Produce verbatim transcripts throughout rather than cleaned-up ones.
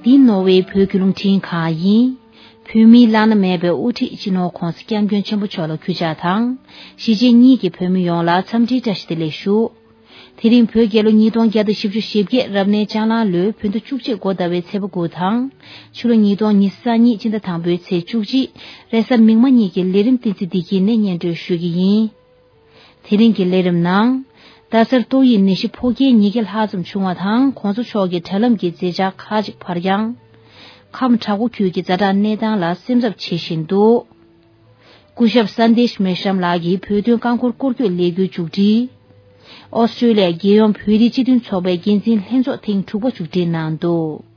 འདི་ནོར་ཝེ་བོད་ཀྱི་རླུང་འཕྲིན་ཁང་ཡིན། བོད་མིའི་བླ་ན་མེད་པའི་དབུ་ཁྲིད་སྤྱི་ནོར་༧གོང་ས་༧སྐྱབས་མགོན་ཆེན་པོ་མཆོག་ལ་གུས་ཕྱག་དང་། གཞིས་བྱེས་གཉིས་ཀྱི་བོད་མི་ཡོངས་ལ་འཚམས་འདྲིའི་བཀྲ་ཤིས་བདེ་ལེགས་ཞུ། དེ་རིང་བོད་རྒྱལ་ལོ་ཉིས་སྟོང་བརྒྱ་དང་བཞི་བཅུ་ཞེ་བརྒྱད་རབ་གནས་ལྕགས་གླང་ལོའི་བོད་ཟླ་བཅུ་གཅིག་འགོ་ཟླ་བའི་ཚེས་པ་དགུ་དང་། ཕྱི་ལོ་ཉིས་སྟོང་ཉི་ཤུ་རྩ་གཉིས་སྤྱི་ཟླ་དང་པོའི་ཚེས་བཅུ་གཅིག་རེས་གཟའ་མིག་དམར་ཉིན་གྱི་ལས་རིམ་བསྟན་འཛིན་བདེ་སྐྱིད་ནས་སྙན་སྒྲོན་ཞུ་གི་ཡིན། དེ་རིང་གི་ལས་རིམ་ནང་། རྡ་སར་ཏོག་དབྱིབས་ནད་གཞི་ཕོ་སྐྱེས་ཉིས་བརྒྱ་ལྷག་ཙམ་བྱུང་བ་དང་། གོང་ས་མཆོག་གིས་དྲ་ལམ་གྱི་མཛད་འཆར་ཁག་ཅིག་ཕར་འགྱངས། ཁམས་བྲག་འགོ་ཁུལ་གྱི་ཛ་དྲག་གནས་སྟངས་ལ་སེམས་འཚབ་བྱེད་བཞིན་འདུག་སྐུ་ཞབས་སན་དེཤ་མེ་ཤམ་ལགས་ཀྱིས་བོད་དོན་རྐང་འཁོར་སྐོར་སྐྱོད་ལས་འགུལ་མཇུག་སྒྲིལ། ཨོ་སི་ཀྲོ་ལི་ཡ་རྒྱལ་ཡོངས་བོད་རིགས་སྤྱི་མཐུན་ཚོགས་པའི་འགན་འཛིན་ལྷན་ཚོགས་ཐེངས་དྲུག་པ་མཇུག་སྒྲིལ་གནང་འདུག་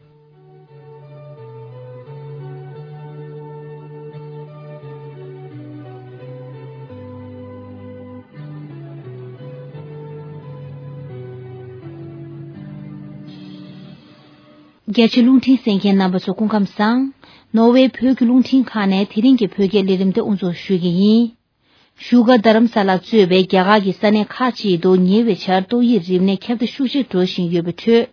རྒྱ་ཆེ་རླུང་འཕྲིན་གསན་མཁན་རྣམ་པ་ཚོ་སྐུ་ཁམས་བཟང་། ནོར་ཝེ་བོད་ཀྱི་རླུང་འཕྲིན་ཁང་ནས་དེ་རིང་གི་བོད་སྐད་ལས་རིམ་དེ་དབུ་འཛུགས་ཞུ་གི་ཡིན། བཞུགས་སྒར་རྡ་རམ་ས་ལ་གཙོས་པའི་རྒྱ་གར་གྱི་ས་གནས་ཁག་ཅིག་ཏུ་ཉེ་བའི་ཆར་ཏོག་དབྱིབས་རིམས་ནད་ཁྱབ་གདལ་ཤུགས་ཆེ་འགྲོ་བཞིན་ཡོད་པའི་ཁྲོད།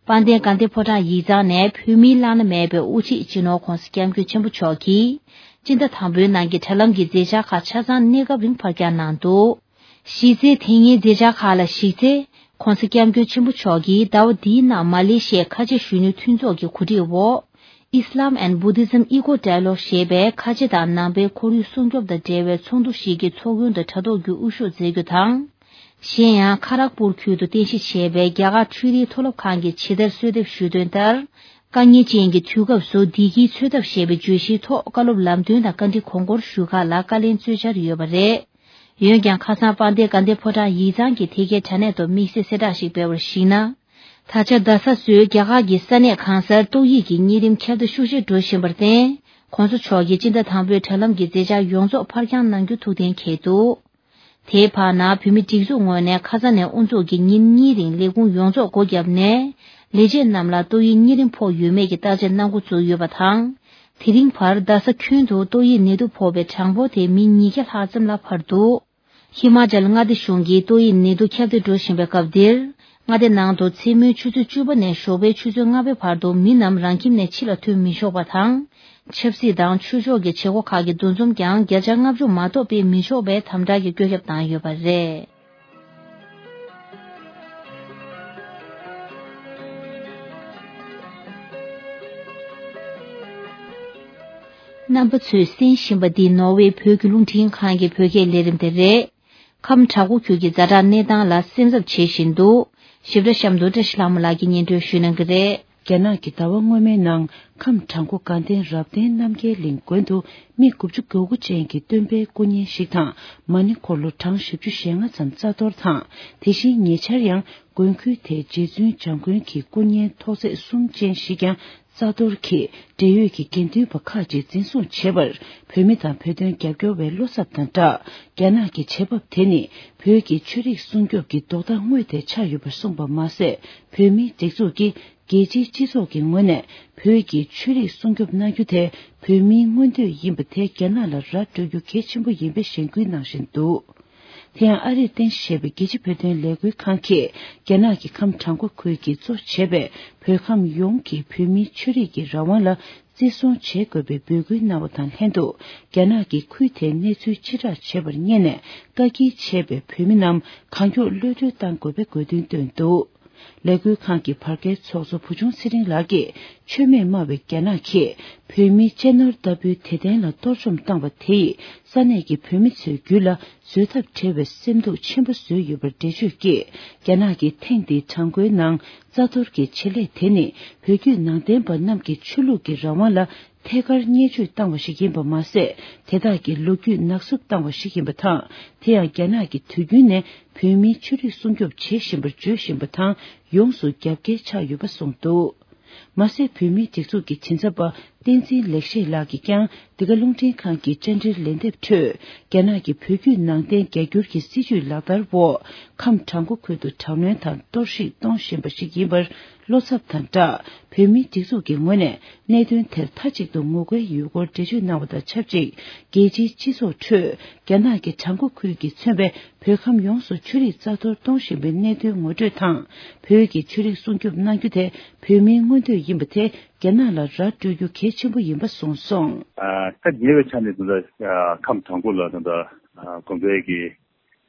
དཔལ་ལྡན་དགའ་ལྡན་ཕོ་བྲང་ཡིག་ཚང་ནས་བོད་མིའི་བླ་ན་མེད་པའི་དབུ་ཁྲིད་སྤྱི་ནོར་༧གོང་ས་༧སྐྱབས་མགོན་ཆེན་པོ་མཆོག་གིས་སྤྱི་ཟླ་དང་པོའི་ནང་གི་དྲ་ལམ་གྱི་མཛད་འཆར་ཁག་ཆ་ཚང་གནས་སྐབས་རིང་ཕར་འགྱངས་གནང་འདུག་གཞི་རྩའི་དེ་སྔའི་མཛད་འཆར་ཁག་ལ་གཞིགས་ཚེ། ྋགོང་ས་ྋསྐྱབས་མགོན་ཆེན་པོ་མཆོག་གིས་ཟླ་བ་འདིའི་ནང་མ་ལེ་ཤི་ཡའི་ཁ་ཆེ་གཞོན་ནུ་མཐུན་ཚོགས་ཀྱི་གོ་སྒྲིག་འོག Islam and Buddhism Eco Dialogue ཞེས་པའི་ཁ་ཆེ་དང་ནང་པའི་ཁོར་ཡུག་སྲུང་སྐྱོབ་དང་འབྲེལ་བའི་ཚོགས་འདུ་ཞིག་གི་ཚོགས་མགོན་དང་དྲ་ཐོག་བརྒྱུད་དབུ་བཞུགས་མཛད་རྒྱུ་དང་། གཞན་ཡང་། ཁ་རག་པུར་ཁུལ་དུ་རྟེན་གཞི་བྱས་པའི་རྒྱ་གར་འཕྲུལ་རིག་མཐོ་སློབ་ཁང་གིས་ཇི་ལྟར་གསོལ་འདེབས་ཞུས་དོན་ལྟར། དཀའ་ངལ་ཅན་གྱི་དུས་སྐབས་སུ་བདེ་སྐྱིད་འཚོལ་ཐབས་ཞེས་པའི་བརྗོད་གཞིའི་ཐོག་བཀའ་སློབ་ལམ་སྟོན་དང་བཀའ་འདྲི་གོང་བཀུར་ཞུ་ཁག་ལ་བཀའ་ལན་སྩོལ་འཆར་ཡོད་པ་རེད། འོན་ཀྱང་ཁ་སང་དཔལ་ལྡན་དགའ་ལྡན་ཕོ་བྲང་ཡིག་ཚང་གི་དེ་གའི་དྲ་གནས་ཐོག་དམིགས་བསལ་གསལ་བསྒྲགས་ཤིག་སྤེལ་བར་གཞིགས་ན། ད་ཆ་རྡ་ས་སོགས་རྒྱ་གར་གྱི་ས་གནས་གང་སར་ཏོག་དབྱིབས་ཀྱི་གཉན་རིམས་ཁྱབ་གདལ་ཤུགས་ཆེ་འགྲོ་བཞིན་པར་བརྟེན། ྋགོང་ས་མཆོག་གིས་སྤྱི་ཟླ་དང་པོའི་དྲ་ལམ་གྱི་མཛད་འཆར་ཡོངས་རྫོགས་ཕར་འགྱངས་གནང་རྒྱུ་ཐུགས་གཏན་འཁེལ་འདུག་དེའི་བར་ན་བོད་མི་སྒྲིག་འཛུགས་ངོས་ནས་ཁ་ས་ནས་དབུ་འཛུགས་ཀྱིས་ཉིན་གཉིས་རིང་ལས་ཁུངས་ཡོངས་རྫོགས་སྒོ་བརྒྱབ་ནས། ལས་བྱེད་རྣམས་ལ་ཏོག་དབྱིབས་གཉན་རིམས་ཕོག་ཡོད་མེད་ཀྱི་བརྟག་དཔྱད་གནང་འགོ་བཙུགས་ཡོད་པ་དང་། དེ་རིང་བར་རྡ་ས་ཁྱོན་དུ་ཏོག་དབྱིབས་ནད་དུག་ཕོག་པའི་གྲངས་འབོར་དེ་མི་ཉིས་བརྒྱ་ལྷག་ཙམ་ལ་འཕར་འདུག་ཧི་མ་ཅལ་མངའ་སྡེ་གཞུང་གིས་ཏོག་དབྱིབས་ནད་དུག་ཁྱབ་གདལ་འགྲོ་བཞིན་པའི་སྐབས་འདིར། མངའ་སྡེ་ནང་དུ་མཚན་མོའི་ཆུ་ཚོད་བཅུ་པ་ནས་ཞོགས་པའི་ཆུ་ཚོད་ལྔ་པའི་བར་དུ་མི་རྣམས་རང་ཁྱིམ་ནས་ཕྱི་ལ་ཐོན་མི་ཆོག་པ་དང་། ཆབ་སྲིད་དང་ཆོས་ཕྱོགས་ཀྱི་བྱེད་སྒོ་ཁག་གི་འདུ་འཛོམས་ཀྱང་བརྒྱ་ཆ་ལྔ་བཅུ་མ་གཏོགས་སྤེལ་མི་ཆོག་པའི་དམ་དྲག་གི་བཀོད་ཁྱབ་བཏང་ཡོད་པ་རེད། རྣམ་པ་ཚོས་གསན་བཞིན་པ་འདི་ནོར་ཝེ་བོད་ཀྱི་རླུང་འཕྲིན་ཁང་གི་བོད་སྐད་ལས་རིམ་དེ་རེད། ཁམས་བྲག་འགོ་ཁུལ་གྱི་ཛ་དྲག་གནས་སྟངས་ལ་སེམས་འཚབ་བྱེད་བཞིན་འདུག་ཞིབ་ཕྲ་གཤམ་དུ་བཀྲ་ཤིས་ལྷ་མོ་ལགས་ཀྱིས་སྙན་སྒྲོན་ཞུ་གནང་གི་རེད། རྒྱ་ནག་གི་ཟླ་བ་སྔོན་མའི་ནང་ཁམས་བྲག་འགོ་དགའ་ལྡན་རབ་བརྟན་རྣམ་རྒྱལ་གླིང་དགོན་དུ་མི་དགུ་བཅུ་གོ་དགུ་ཅན་གྱི་སྟོན་པའི་སྐུ་བརྙན་ཞིག་དང་མ་ཎི་འཁོར་ལོ་གྲངས་བཞི་བཅུ་ཞེ་ལྔ་ཙམ་རྩ་གཏོར་དང་། དེ་བཞིན་ཉེ་ཆར་ཡང་དགོན་ཁུལ་དེའི་རྗེ་བཙུན་བྱམས་མགོན་གྱི་སྐུ་བརྙན་ཐོག་བརྩེགས་གསུམ་ཅན་ཞིག་ཀྱང་རྩ་གཏོར་གྱིས་འབྲེལ་ཡོད་ཀྱི་དགེ་འདུན་པ་ཁག་ཅིག་འཛིན་བཟུང་བྱས་པར་བོད་མི་དང་བོད་དོན་རྒྱབ་སྐྱོར་བའི་བློ་འཚབ་དང་སྦྲགས། རྒྱ་ནག་གི་བྱེད་བབ་དེ་ནི་བོད་ཀྱི་ཆོས་རིག་སྲུང་སྐྱོབ་ཀྱི་ལྡོག་ཟླ་དངོས་དེ་ཆགས་ཡོད་པར་གསུངས་པ་མ་ཟད། བོད་མིའི་སྒྲིག་འཛུགས་ཀྱིས་རྒྱལ་སྤྱིའི་སྤྱི་ཚོགས་ཀྱི་ངོས་ནས་བོད་ཀྱི་ཆོས་རིག་སྲུང་སྐྱོབ་གནང་རྒྱུ་དེ་བོད་མིའི་མངོན་འདོད་ཡིན་པ་དེ་རྒྱ་ནག་ལ་ར་སྤྲོད་རྒྱུ་གལ་ཆེན་པོ་ཡིན་པའི་གཞེན་སྐུལ་གནང་བཞིན་འདུག་དེ་ཡང་ཨ་རིར་རྟེན་གཞི་བྱས་པའི་རྒྱལ་སྤྱིའི་བོད་དོན་ལས་འགུལ་ཁང་གིས་རྒྱ་ནག་གི་ཁམས་བྲག་འགོ་ཁུལ་གྱིས་གཙོ་བྱས་པའི་བོད་ཁམས་ཡོངས་ཀྱི་བོད་མིའི་ཆོས་རིག་གི་རང་དབང་ལ་བརྩི་སྲུང་བྱེད་དགོས་པའི་འབོད་སྐུལ་གནང་བ་དང་ལྷན་དུ། རྒྱ་ནག་གིས་ཁུལ་དེའི་གནས་ཚུལ་ཕྱིར་བསྒྲགས་བྱས་པར་བརྙས་ནས་བཀག་སྐྱིལ་བྱས་པའི་བོད་མི་རྣམས་གང་མགྱོགས་གློད་གྲོལ་གཏང་དགོས་པའི་དགོས་འདུན་བཏོན་འདུག་ལས་འགུལ་ཁང་གི་བར་བརྒལ་ཚོགས་གཙོ་བུ་ཆུང་ཚེ་རིང་ལགས་ཀྱིས་མཆོད་མེ་དམར་བའི་རྒྱ་ནག་གིས་བོད་མིའི་གཅེས་ནོར་ལྟ་བུའི་དད་རྟེན་ལ་གཏོར་བཅོམ་བཏང་བ་དེ་ཡིས་ས་གནས་ཀྱི་བོད་མི་ཚོའི་རྒྱུད་ལ་བཟོད་ཐབས་བྲལ་བའི་སེམས་སྡུག་ཆེན་པོ་བཟོས་ཡོད་པར་འགྲེལ་བརྗོད་ཀྱིས། རྒྱ་ནག་གིས་ཐེངས་འདིའི་བྲག་འགོའི་ནང་རྩ་གཏོར་གྱི་བྱེད་ལས་དེ་ནི་བོད་བརྒྱུད་ནང་བསྟན་པ་རྣམས་ཀྱི་ཆོས་ལུགས་ཀྱི་རང་དབང་ལ་ཐད་ཀར་བརྙས་བཅོས་བཏང་བ་ཞིག་ཡིན་པ་མ་ཟད། དེ་དག་གི་ལོ་རྒྱུས་ནག་བསུབ་བཏང་བ་ཞིག་ཡིན་པ་དང་། དེ་ཡང་རྒྱ་ནག་གིས་དུས་རྒྱུན་ནས་བོད་མིའི་ཆོས་རིག་སྲུང་སྐྱོབ་བྱེད་བཞིན་པར་བརྗོད་བཞིན་པ་དང་ཡོངས་སུ་རྒྱབ་འགལ་ཆགས་ཡོད་པ་གསུངས་འདུག་མ་ཟད། བོད་མིའི་སྒྲིག་འཛུགས་ཀྱི་མགྲིན་ཚབ་པ་བསྟན་འཛིན་ལེགས་བཤད་ལགས་ཀྱིས་ཀྱང་འདི་ག་རླུང་འཕྲིན་ཁང་གི་བཅར་འདྲིར་ལན་འདེབས་ཁྲོད། རྒྱ་ནག་གི་བོད་བརྒྱུད་ནང་བསྟན་རྒྱ་སྒྱུར་གྱི་སྲིད་བྱུས་ལག་བསྟར་འོག་ཁམས་བྲག་འགོ་ཁུལ་དུ་དྲག་གནོན་དང་གཏོར་བཤིག་གཏོང་བཞིན་པ་ཞིག་ཡིན་པར་བློ་འཚབ་དང་སྦྲགས། བོད་མིའི་སྒྲིག་འཛུགས་ཀྱི་ངོས་ནས་གནད་དོན་དེར་མཐའ་གཅིག་ཏུ་ངོ་རྒོལ་ཡོད་སྐོར་འགྲེལ་བརྗོད་གནང་བ་དང་ཆབས་ཅིག་རྒྱལ་སྤྱིའི་སྤྱི་ཚོགས་ཁྲོད་རྒྱ་ནག་གིས་བྲག་འགོ་ཁུལ་གྱིས་མཚོན་པའི་བོད་ཁམས་ཡོངས་སུ་ཆོས་རིག་རྩ་གཏོར་གཏོང་བཞིན་པའི་གནད་དོན་ངོ་སྤྲོད་དང་། བོད་ཀྱི་ཆོས་རིག་སྲུང་སྐྱོབ་གནང་རྒྱུ་དེ་བོད་མིའི་མངོན་འདོད་ཡིན་པ་དེ་ རྒྱ་ནག་ལ་ར་སྤྲོད་རྒྱུ་གལ་ཆེན་པོ་ཡིན་པ་གསུངས་སོང་། ད་ཉེ་བའི་ཆ་ནས་ད་ལྟ་ཁམས་དང་པོ་ལ་ད་ལྟ་དགོན་པའི་གི་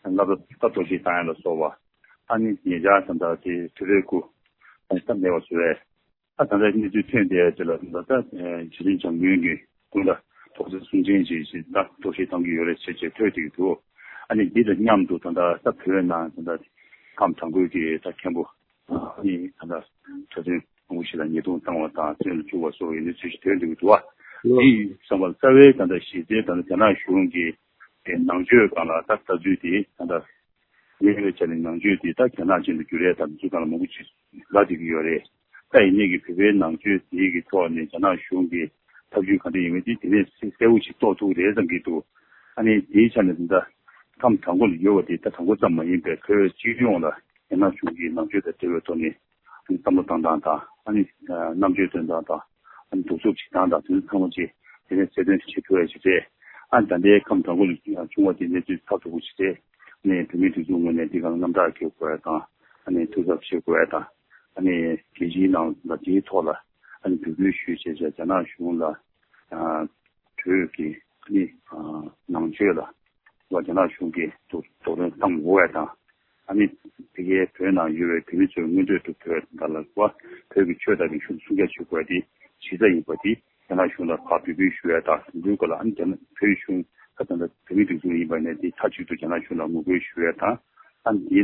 མངའ་བདག་ད་གཏོར་བཤིག་བཏང་ཡ་ལ་སོགས་པ་ཨ་ནི་ཉེ་ཆར་ད་ལྟ་དེ་དུས་རེ་སྐུ་ཨ་ནི་ད་མེད་པ་བཟོ་བས། ད་ད་ལྟ་གནས་ཚུལ་ཐོན་བསྡད་ཡ་དེ་ལ་ད་ལྟ་རྗེ་བཙུན་བྱམས་མགོན་གྱི་སྐུ་ལ་དོགས་སེལ་གསུང་ཆེན་ཞིག་ཞིག་ད་གཏོར་བཤིག་བཏང་གི་ཡོད་རེད་ཅེས་ཅེས་ཐོས་བསྡད་ཀྱི་འདུག་ཨ་ནི་འདི་དང་མཉམ་དུ་ད་ལྟ་ད་བོད་ནང་ད་ལྟ་ཁམས་དང་པོའི་གི་ད་མཁན་པོ་ཨ་ནི་ད་ལྟ་གྲྭ་བཙུན་མང་པོ་ཞིག་ལ་ཉེས་རྡུང་བཏང་བ་དང་བཙོན་ལ་བཅུག་པ་སོགས་ཡོད་གནས་ཚུལ་ཞིག་ཐོན་འདུག་འདུག་བ། དེ་ཡིན་བསམ་པར་རྩ་བའི་ད་ལྟ་གཞི་རྩའི་ད་ལྟ་རྒྱ་ནག་གཞུང་གི་ནང་ཆོས་སྒང་ལ་ད་ལྟ་ཚུལ་དེ་ད་ལྟ་ཉེ་བའི་ཆ་ནས་ནང་ཆོས་དེ་ད་རྒྱ་ནག་ཅན་དུ་བསྒྱུར་ཡས་དང་ཚུལ་སྒང་ལ་མང་པོ་ཅིག་ལབ་བསྡད་ཀྱི་ཡོད་རེད། ད་ཡིན་ནའི་གི་བོད་པའི་ནང་ཆོས་དེ་གི་ཐོག་ནས་རྒྱ་ནག་གཞུང་གི་ཐབས་ཇུས་ག་འདྲ་ཡིན་མིན་དེ་དེ་ནས་གསལ་པོ་ཞིག་རྟོགས་ཐུབ་རེད་བསམ་གྱི་འདུག་ཨ་ནི་དེའི་ཆ་ནས་ད་ལྟ་ཁམས་དང་པོ་ལ་ཡོད་པ་དེ་ད་དང་པོ་ཙམ་མ་ཡིན་པའི་བོད་སྤྱི་ཡོངས་ལ་རྒྱ་ནག་གཞུང་གིས་ནང་ཆོས་དང་འབྲེལ་བའི་ཐོག་ནས་བསམ་བློ་བཏང་སྟངས་དང་ཨ་ནི་རྣམ་དཔྱོད་སྟོན་སྟངས་དང་ཨ་ནི་གདུག་རྩུབ་བྱེད་སྟངས་དང་དེ་ཚོ་ཚང་མ་ཅིག་དེ་ནས་གསལ་སྟོན་བྱེད་ཐུབ་ཡ་ཞིག་རེད། ཨ་ནི་ད་ལྟའི་ཁམས་དང་པོ་ལ་བྱུང་བ་དེ་གནས་ཚུལ་ཚགས་ཚུད་པོ་ཞིག་རེད། ཨ་ནི་བོད་མིའི་སྒྲིག་འཛུགས་ངོས་ནས་འདི་གང་རྣམ་དག་འཁྱེར་དགོས་ཡ་དང་ཨ་ནི་ཐུགས་གཟབ་བྱེད་དགོས་ཡ་དང་ཨ་ནི་རྒྱལ་སྤྱིའི་ནང་ལ་དེའི་ཐོག་ལ་ཨ་ནི་འབོད་སྐུལ་ཞུས་བྱས་བྱས་རྒྱ་ནག་གཞུང་ལ་ཨ་བོད་ཀྱི་ཨ་ནི་ཨ་ནང་ཆོས་ལ་རྒྱ་ནག་གཞུང་གིས་དོ་དོ་དོ་དམ་བཏང་དགོས་ཡ་དང་། ཨ་ནི་དེ་གའི་བོད་ནང་ཡོད་པའི་བོད་མི་ཚོའི་མངོན་འདོད་དུ་བོད་དང་ལ་བ་བོད་ཀྱི་ཆོས་དང་རིག་གཞུང་སྲུང་སྐྱོབ་བྱེད་དགོས་ཡ་དེ་གཞི་རྩ་ཡིན་པ་དེ་རྒྱ་ནག་གཞུང་ལ་ཕར་འབོད་སྐུལ་ཞུ་ཡ་དང་དེ་ཚོའི་སྐོར་ལ་ཨ་ནི་རྒྱ་ནག་བོད་གཞུང་ད་ད་ལྟ་བོད་མིའི་སྒྲིག་འཛུགས་ཡིན་པ་ནས་དེ་མཐའ་གཅིག་ཏུ་རྒྱ་ནག་གཞུང་ལ་ངོ་རྒོལ་ཞུ་ཡ་དང་ཨ་ནི་དེ་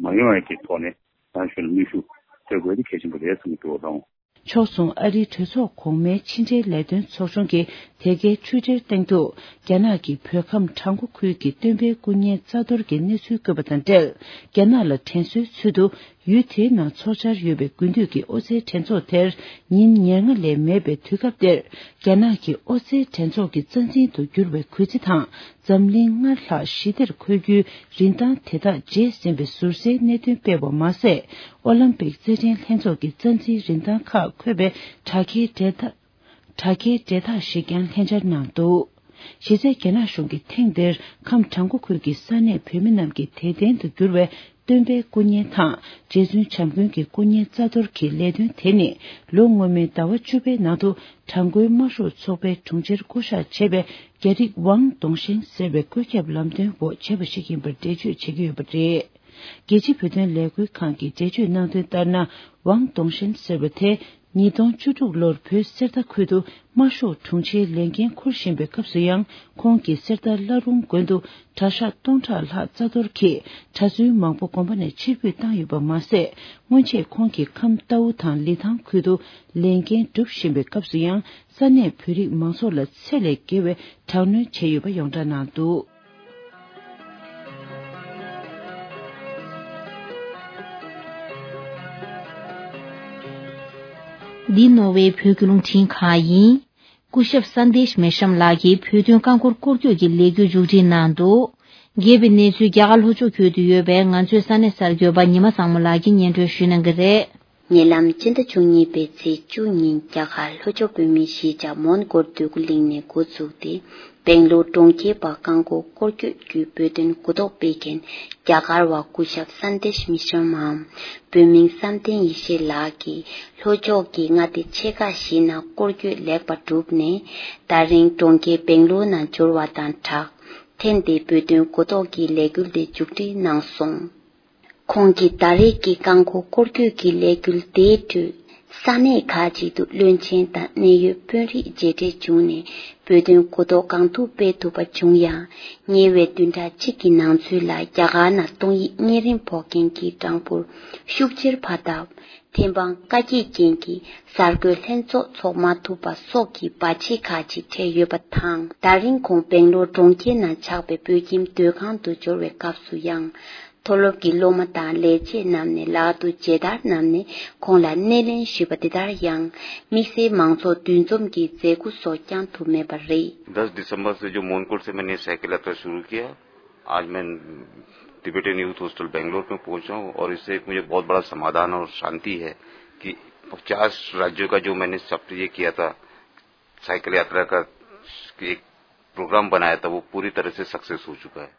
མ་ཡོང་ཡ་གི་ཐོག་ནས་རྒྱ་ནག་གཞུང་ལ་གནོན་ཤུགས་སྤྲད་དགོས་ཡ་དེ་གལ་ཆེན་པོ་རེད་བསམ་གྱི་འདུག་ཨང་། ཕྱོགས་མཚུངས་ཨ་རིའི་གྲོས་ཚོགས་གོང་མའི་ཕྱི་འབྲེལ་ལས་དོན་ཚོགས་ཆུང་གིས་དེ་གའི་འཕྲོས་འབྲེལ་སྟེང་དུ་རྒྱ་ནག་གིས་བོད་ཁམས་བྲག་འགོ་ཁུལ་གྱི་སྟོན་པའི་སྐུ་བརྙན་རྩ་གཏོར་གྱི་གནས་ཚུལ་བཀོད་པ་དང་འབྲེལ། རྒྱ་ནག་ལ་དྲན་གསོའི་ཚུལ་དུ་ཡུལ་དེའི་ནང་འཚོགས་འཆར་ཡོད་པའི་དགུན་དུས་ཀྱི་ཨོ་རྩལ་འགྲན་ཚོགས་དེར་ཉིན་ཉེར་ལྔ་ལས་མེད་པའི་དུས་སྐབས་དེར་རྒྱ་ནག་གི་ཨོ་རྩལ་འགྲན་ཚོགས་ཀྱི་རྩ་འཛིན་དུ་གྱུར་བའི་གུས་བརྩི་དང་། འཛམ་གླིང་སྔར་ལྷག་ཞི་བདེར་འཁོད་རྒྱུའི་རིན་ཐང་དེ་དག་འཇལ་ཟིན་པའི་ཟུར་ཟའི་གནད་དོན་སྤེལ་བ་མ་ཟད། ཨོ་ལམ་པིག་རྩེད་འགྲན་ལྷན་ཚོགས་ཀྱི་རྩ་འཛིན་རིན་ཐང་ཁག་འཁོད་པའི་དྲ་རྒྱའི་འབྲེལ་ཐག་དྲ་རྒྱའི་འབྲེལ་ཐག་ཞིག་ཀྱང་ལྷན་སྦྱར་གནང་འདུག་གཞི་རྩའི་རྒྱ་ནག་གཞུང་གིས་ཐེངས་འདིར་ཁམས་བྲག་འགོ་ཁུལ་གྱི་ས་གནས་བོད་མི་རྣམས་ཀྱི་དད་རྟེན་དུ་གྱུར་བའི་སྟོན་པའི་སྐུ་བརྙན་དང་རྗེ་བཙུན་བྱམས་མགོན་གྱི་སྐུ་བརྙན་རྩ་གཏོར་གྱི་ལས་དོན་དེ་ནི་ལོ་སྔོན་མའི་ཟླ་བ་བཅུ་པའི་ནང་དུ་བྲག་འགོའི་དམར་ཤོག་ཚོགས་པའི་དྲུང་ཆེར་བསྐོ་གཞག་བྱས་པའི་རྒྱ་རིགས་ཝང་ཏུང་ཧྲེང་ཟེར་བའི་བཀོད་ཁྱབ་ལམ་སྟོན་འོག་བྱས་པ་ཞིག་ཡིན་པར་འགྲེལ་བརྗོད་བྱེད་ཀྱི་ཡོད་པ་རེད། རྒྱལ་སྤྱིའི་བོད་དོན་ལས་འགུལ་ཁང་གིས་འགྲེལ་བརྗོད་གནང་དོན་ལྟར་ན། ཝང་ཏུང་ཧྲེང་ཟེར་བ་དེ་ཉིས་སྟོང་བཅུ་དྲུག་ལོར་བོད་གསེར་རྟ་ཁུལ་དུ་དམར་ཤོག་དྲུང་ཆེའི་ལས་འགན་འཁུར་བཞིན་པའི་སྐབས་སུ་ཡང་ཁོང་གིས་གསེར་རྟ་བླ་རུང་དགོན་དུ་གྲྭ་ཤག་སྟོང་ཕྲག་ལྷག་རྩ་གཏོར་གྱིས་གྲྭ་བཙུན་མང་པོ་དགོན་པ་ནས་ཕྱིར་འབུད་བཏང་ཡོད་པ་མ་ཟད། སྔོན་ཆད་ཁོང་གིས་ཁམས་རྟའུ་དང་ལི་ཐང་ཁུལ་དུ་ལས་འགན་སྒྲུབ་བཞིན་པའི་སྐབས་སུ་ཡང་ས་གནས་བོད་རིགས་མང་ཚོགས་ལ་ཚད་ལས་བརྒལ་བའི་དྲག་གནོན་བྱས་ཡོད་པ་ཡོངས་གྲགས་གནང་འདུག་འདི་ནོར་ཝེ་བོད་ཀྱི་རླུང་འཕྲིན་ཁང་ཡིན། སྐུ་ཞབས་སན་དེཤ་མེ་ཤམ་ལགས་ཀྱིས་བོད་དོན་རྐང་འཁོར་སྐོར་སྐྱོད་ཀྱི་ལས་འགུལ་མཇུག་སྒྲིལ་གནང་འདུག་རྒྱས་པའི་གནས་ཚུལ་རྒྱ་གར་ལྷོ་ཕྱོགས་ཁུལ་དུ་ཡོད་པའི་ང་ཚོའི་ས་གནས་གསར་འགོད་པ་ཉི་མ་བཟང་མོ་ལགས་ཀྱིས་སྙན་སྒྲོན་ཞུ་གནང་གི་རེད། ཉེ་ལམ་སྤྱི་ཟླ་བཅུ་གཉིས་པའི་ཚེས་བཅུ་ཉིན་རྒྱ་གར་ལྷོ་ཕྱོགས་བོད་མིའི་གཞིས་ཆགས་མོན་གྷོར་འདོད་རྒུ་གླིང་ནས་འགོ་བཙུགས་ཏེ། སྦེང་ལོར་གྲོང་ཁྱེར་བར་རྐང་འཁོར་སྐོར་སྐྱོད་བརྒྱུད་བོད་དོན་གོ་རྟོགས་སྤེལ་མཁན་རྒྱ་གར་བ་སྐུ་ཞབས་སན་དེཤ་མི་ཤམ་འམ་བོད་མིང་བསམ་གཏན་ཡེ་ཤེས་ལགས་ཀྱིས་ལྷོ་ཕྱོགས་ཀྱི་མངའ་སྡེ་ཆེ་ཁག་བཞི་ནང་སྐོར་སྐྱོད་ལེགས་པར་གྲུབ་ནས། ད་རིང་གྲོང་ཁྱེར་སྦེང་ལོར་ནང་འབྱོར་བ་དང་སྦྲགས། ཐེངས་འདིའི་བོད་དོན་གོ་རྟོགས་ཀྱི་ལས་འགུལ་དེ་མཇུག་སྒྲིལ་གནང་སོང་། ཁོང་གིས་ད་རེས་ཀྱི་རྐང་འཁོར་སྐོར་སྐྱོད་ཀྱི་ལས་འགུལ་དེའི་ཁྲོད། ས་གནས་ཁག་ཅིག་ཏུ་བློན་ཆེན་དང་གནད་ཡོད་དཔོན་རིགས་མཇལ་འཕྲད་བྱུང་ནས་བོད་དོན་གོ་རྟོགས་གང་ཐུབ་སྤེལ་ཐུབ་པ་བྱུང་ཡང་། ཉེ་བའི་བདུན་ཕྲག་གཅིག་གི་ནང་ཚུད་ལ་རྒྱ་གར་ནང་གཏོང་ཡིག་གཉན་རིམས་ཕོག་མཁན་གྱི་གྲངས་འབོར་ཤུགས་ཆེར་འཕར་སྟབས། ཐེམ་སྤང་བཀའ་རྒྱ་བཅས་ཀྱི་གསར་འགོད་ལྷན་ཚོགས་འཚོགས་མ་ཐུབ་པ་སོགས་ཀྱི་བར་ཆད་ཁག་ཅིག་འཕྲད་ཡོད་པ་དང་། ད་རིང་ཁོང་སྦེང་ལོར་གྲོང་ཁྱེར་ནང་ཆགས་པའི་བོད་ཁྱིམ་སྡོད་ཁང་དུ་འབྱོར་བའི་སྐབས་སུ་ཡང་། མཐོ་སློབ་ཀྱི་སློབ་མ་དང་ལས་བྱེད་རྣམས་ནས་ལག་ཏུ་མཇལ་དར་བསྣམས་ནས་ཁོང་ལ་སྣེ་ལེན་ཞུས་པ་འདི་ལྟར་ཡང་། དམིགས་བསལ་མང་ཚོགས་འདུ་འཛོམས་ཀྱི་མཛད་སྒོ་སོགས་ཀྱང་ཐུབ་མེད་པ་རེད། दस दिसंबर से जो मोनकोट से मैंने साइकिल यात्रा शुरू किया, आज मैं टिबेटन यूथ हॉस्टल बेंगलोर में पहुंचा हूं और इससे एक मुझे बहुत बड़ा समाधान और शांति है कि पचास राज्यों का जो मैंने सफर ये किया था, साइकिल यात्रा का एक प्रोग्राम बनाया था, वो पूरी तरह से सक्सेस हो चुका है।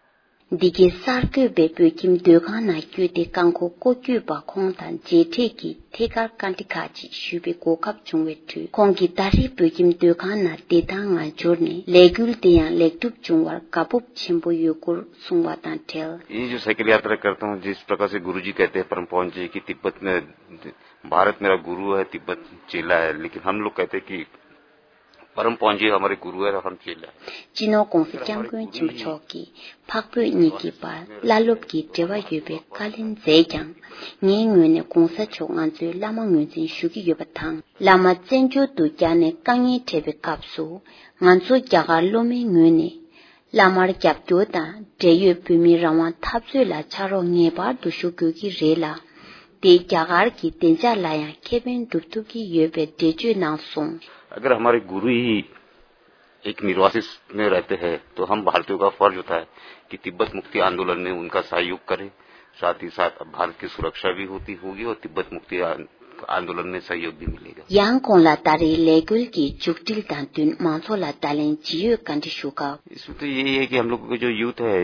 འདི་གའི་གསར་འགོད་པས་བོད་ཁྱིམ་སྡོད་ཁང་ནང་བསྐྱོད་དེ་རྐང་འཁོར་སྐོར་སྐྱོད་པ་ཁོང་དང་མཇལ་འཕྲད་ཀྱིས་ཐད་ཀར་བཀའ་འདྲི་ཁག་ཅིག་ཞུས་པའི་གོ་སྐབས་བྱུང་བའི་ཁྲོད། ཁོང་གིས་ད་རེས་བོད་ཁྱིམ་སྡོད་ཁང་ནང་བདེ་ཐང་ངང་འབྱོར་ནས་ལས་འགུལ་དེ་ཡང་ལེགས་གྲུབ་བྱུང་བར་དགའ་སྤོབས་ཆེན་པོ་ཡོད་སྐོར་གསུངས་བ་དང་འབྲེལ། ये जो साइकिल यात्रा करता हूँ, जिस प्रकार से गुरुजी कहते हैं, परम पवन जी, कि तिब्बत में, भारत मेरा गुरु है, तिब्बत चेला है, लेकिन हम लोग कहते हैं कि परम पवन जी हमारे गुरु है, हम चेला है। སྤྱི་ནོར་༧གོང་ས་༧སྐྱབས་མགོན་ཆེན་པོ་མཆོག་གིས་འཕགས་བོད་གཉིས་ཀྱི་བར་བླ་སློབ་ཀྱི་འབྲེལ་བ་ཡོད་པའི་བཀའ་ལན་མཛད་ཀྱང་། ངའི་ངོས་ནས་༧གོང་ས་མཆོག་ང་ཚོའི་བླ་མ་ངོས་འཛིན་ཞུ་གི་ཡོད་པ་དང་། བླ་མ་བཙན་བྱོལ་དུ་བསྐྱར་ནས་དཀའ་ངལ་འཕྲད་པའི་སྐབས་སུ། ང་ཚོ་རྒྱ་གར་སློབ་མའི་ངོས་ནས། བླ་མར་རྒྱབ་སྐྱོར་དང་འབྲེལ་ཡོད་བོད་མིའི་རང་དབང་འཐབ་རྩོད་ལ་ཕྱག་རོགས་ངེས་པར་དུ་ཞུ་དགོས་ཀྱི་རེད་ལ། དེ་རྒྱ་གར་གྱི་བདེ་འཇགས་ལ་ཡང་ཁེ་ཕན་སྒྲུབ་ཐུབ་ཀྱི་ཡོད་པའི་འགྲེལ་བརྗོད་གནང་སོང་། अगर हमारे गुरु ही एक निर्वासित में रहते हैं तो हम भारतीयों का फर्ज होता है कि तिब्बत मुक्ति आंदोलन में उनका सहयोग करें। साथ ही साथ अब भारत की सुरक्षा भी होती होगी और तिब्बत मुक्ति आं- आंदोलन में सहयोग भी मिलेगा। ཡང་ཁོང་ལ་ད་རེས་ལས་འགུལ་གྱི་མཇུག་སྒྲིལ་དང་བསྟུན་མང་ཚོགས་ལ་བརྡ་ལན་ཇི་ཡོད་བཀའ་འདྲི་ཞུ་སྐབས། इसमें तो यही है कि हम लोग का जो यूथ है,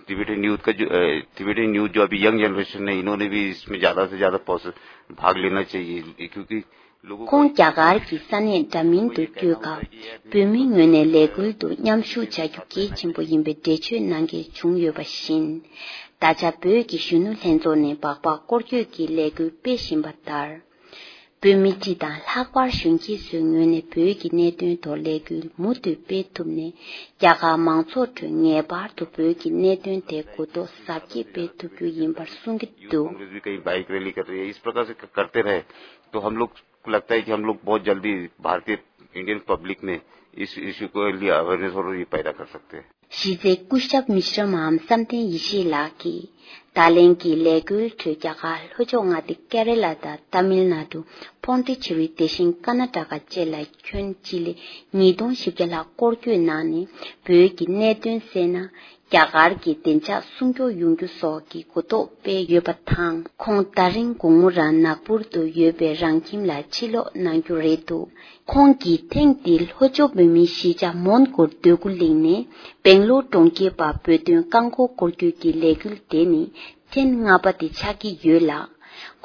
टिबेटन यूथ का जो, अ, टिबेटन यूथ जो अभी यंग जनरेशन है, इन्होंने भी इसमें ज़्यादा से ज़्यादा पॉस- भाग लेना चाहिए, क्योंकि लोगों को ཁོང་རྒྱ་གར་གྱི་ས་གནས་འདྲ་མིན་དུ་བསྐྱོད་སྐབས། བོད་མིའི་ངོས་ནས་ལས་འགུལ་དུ་མཉམ་ཞུགས་བྱ་རྒྱུ་གལ་ཆེན་པོ་ཡིན་པའི་འགྲེལ་བརྗོད་གནང་མཁན་བྱུང་ཡོད་པ་བཞིན། ད་ཆ་བོད་ཀྱི་གཞོན་ནུ་ལྷན་ཚོགས་ནས་སྦག་སྦག་སྐོར་སྐྱོད་ཀྱི་ལས་འགུལ་སྤེལ་བཞིན་པ་ལྟར། བོད་མི་སྤྱི་དང་ལྷག་པར་གཞོན་སྐྱེས་ཚོའི་ངོས་ནས་བོད་ཀྱི་གནད་དོན་ཐོག་ལས་འགུལ་མུ་མཐུད་སྤེལ་ཐུབ་ནས། རྒྱ་གར་མང་ཚོགས་ཁྲོད་ངེས་པར་དུ་བོད་ཀྱི་གནད་དོན་དེ་གོ་རྟོགས་ཟབ་རྒྱས་སྤེལ་ཐུབ་རྒྱུ་ཡིན་པར་གསུང་གི་འདུག कांग्रेस भी कहीं बाइक रैली कर रही है। इस प्रकार से क- करते रहे तो हम लोग को लगता है कि हम लोग बहुत जल्दी भारतीय, इंडियन पब्लिक में इस इशू के लिए अवेयरनेस और ये पैदा कर सकते हैं। གཞི་རྩའི་སྐུ་ཞབས་མིཤ་ར་མ་ཧམ་བསམ་གཏན་ཡེ་ཤེས་ལགས་ཀྱིས། ད་ལན་གྱི་ལས་འགུལ་ཁྲོད་རྒྱ་གར་ལྷོ་ཕྱོགས་མངའ་སྡེ་ཀེ་ར་ལ་དང་ཏཱ་མིལ་ནཱ་ཌུ། ཕོན་ཏི་ཆེ་རི་དེ་བཞིན་ཀར་ནཱ་ཊ་ཀ་བཅས་ལ་ཁྱོན་སྤྱི་ལེ་ཉིས་སྟོང་བཞི་བརྒྱ་ལྷག་སྐོར་སྐྱོད་གནང་ནས། བོད་ཀྱི་གནད་དོན་སེལ་ན། རྒྱ་གར་གྱི་བདེ་འཇགས་སྲུང་སྐྱོབ་ཡོང་རྒྱུ་སོགས་ཀྱི་གོ་རྟོགས་སྤེལ་ཡོད་པ་དང་། ཁོང་ད་རིང་དགོང་མོ་རང་ནག་པུར་དུ་ཡོད་པའི་རང་ཁྱིམ་ལ་ཕྱིར་ལོག་གནང་རྒྱུ་རེད་འདུག་ཁོང་གིས་ཐེངས་འདིའི་ལྷོ་ཕྱོགས་བོད་མིའི་གཞིས་ཆགས་མོན་གྷོར་སྡོད་གུ་གླེང་ནས། སྦེང་ལོར་གྲོང་ཁྱེར་པ་བོད་དོན་རྐང་འཁོར་སྐོར་སྐྱོད་ཀྱི་ལས་འགུལ་དེ་ནི་ཐེངས་ལྔ་པ་དེ་ཆགས་ཀྱི་ཡོད་ལ།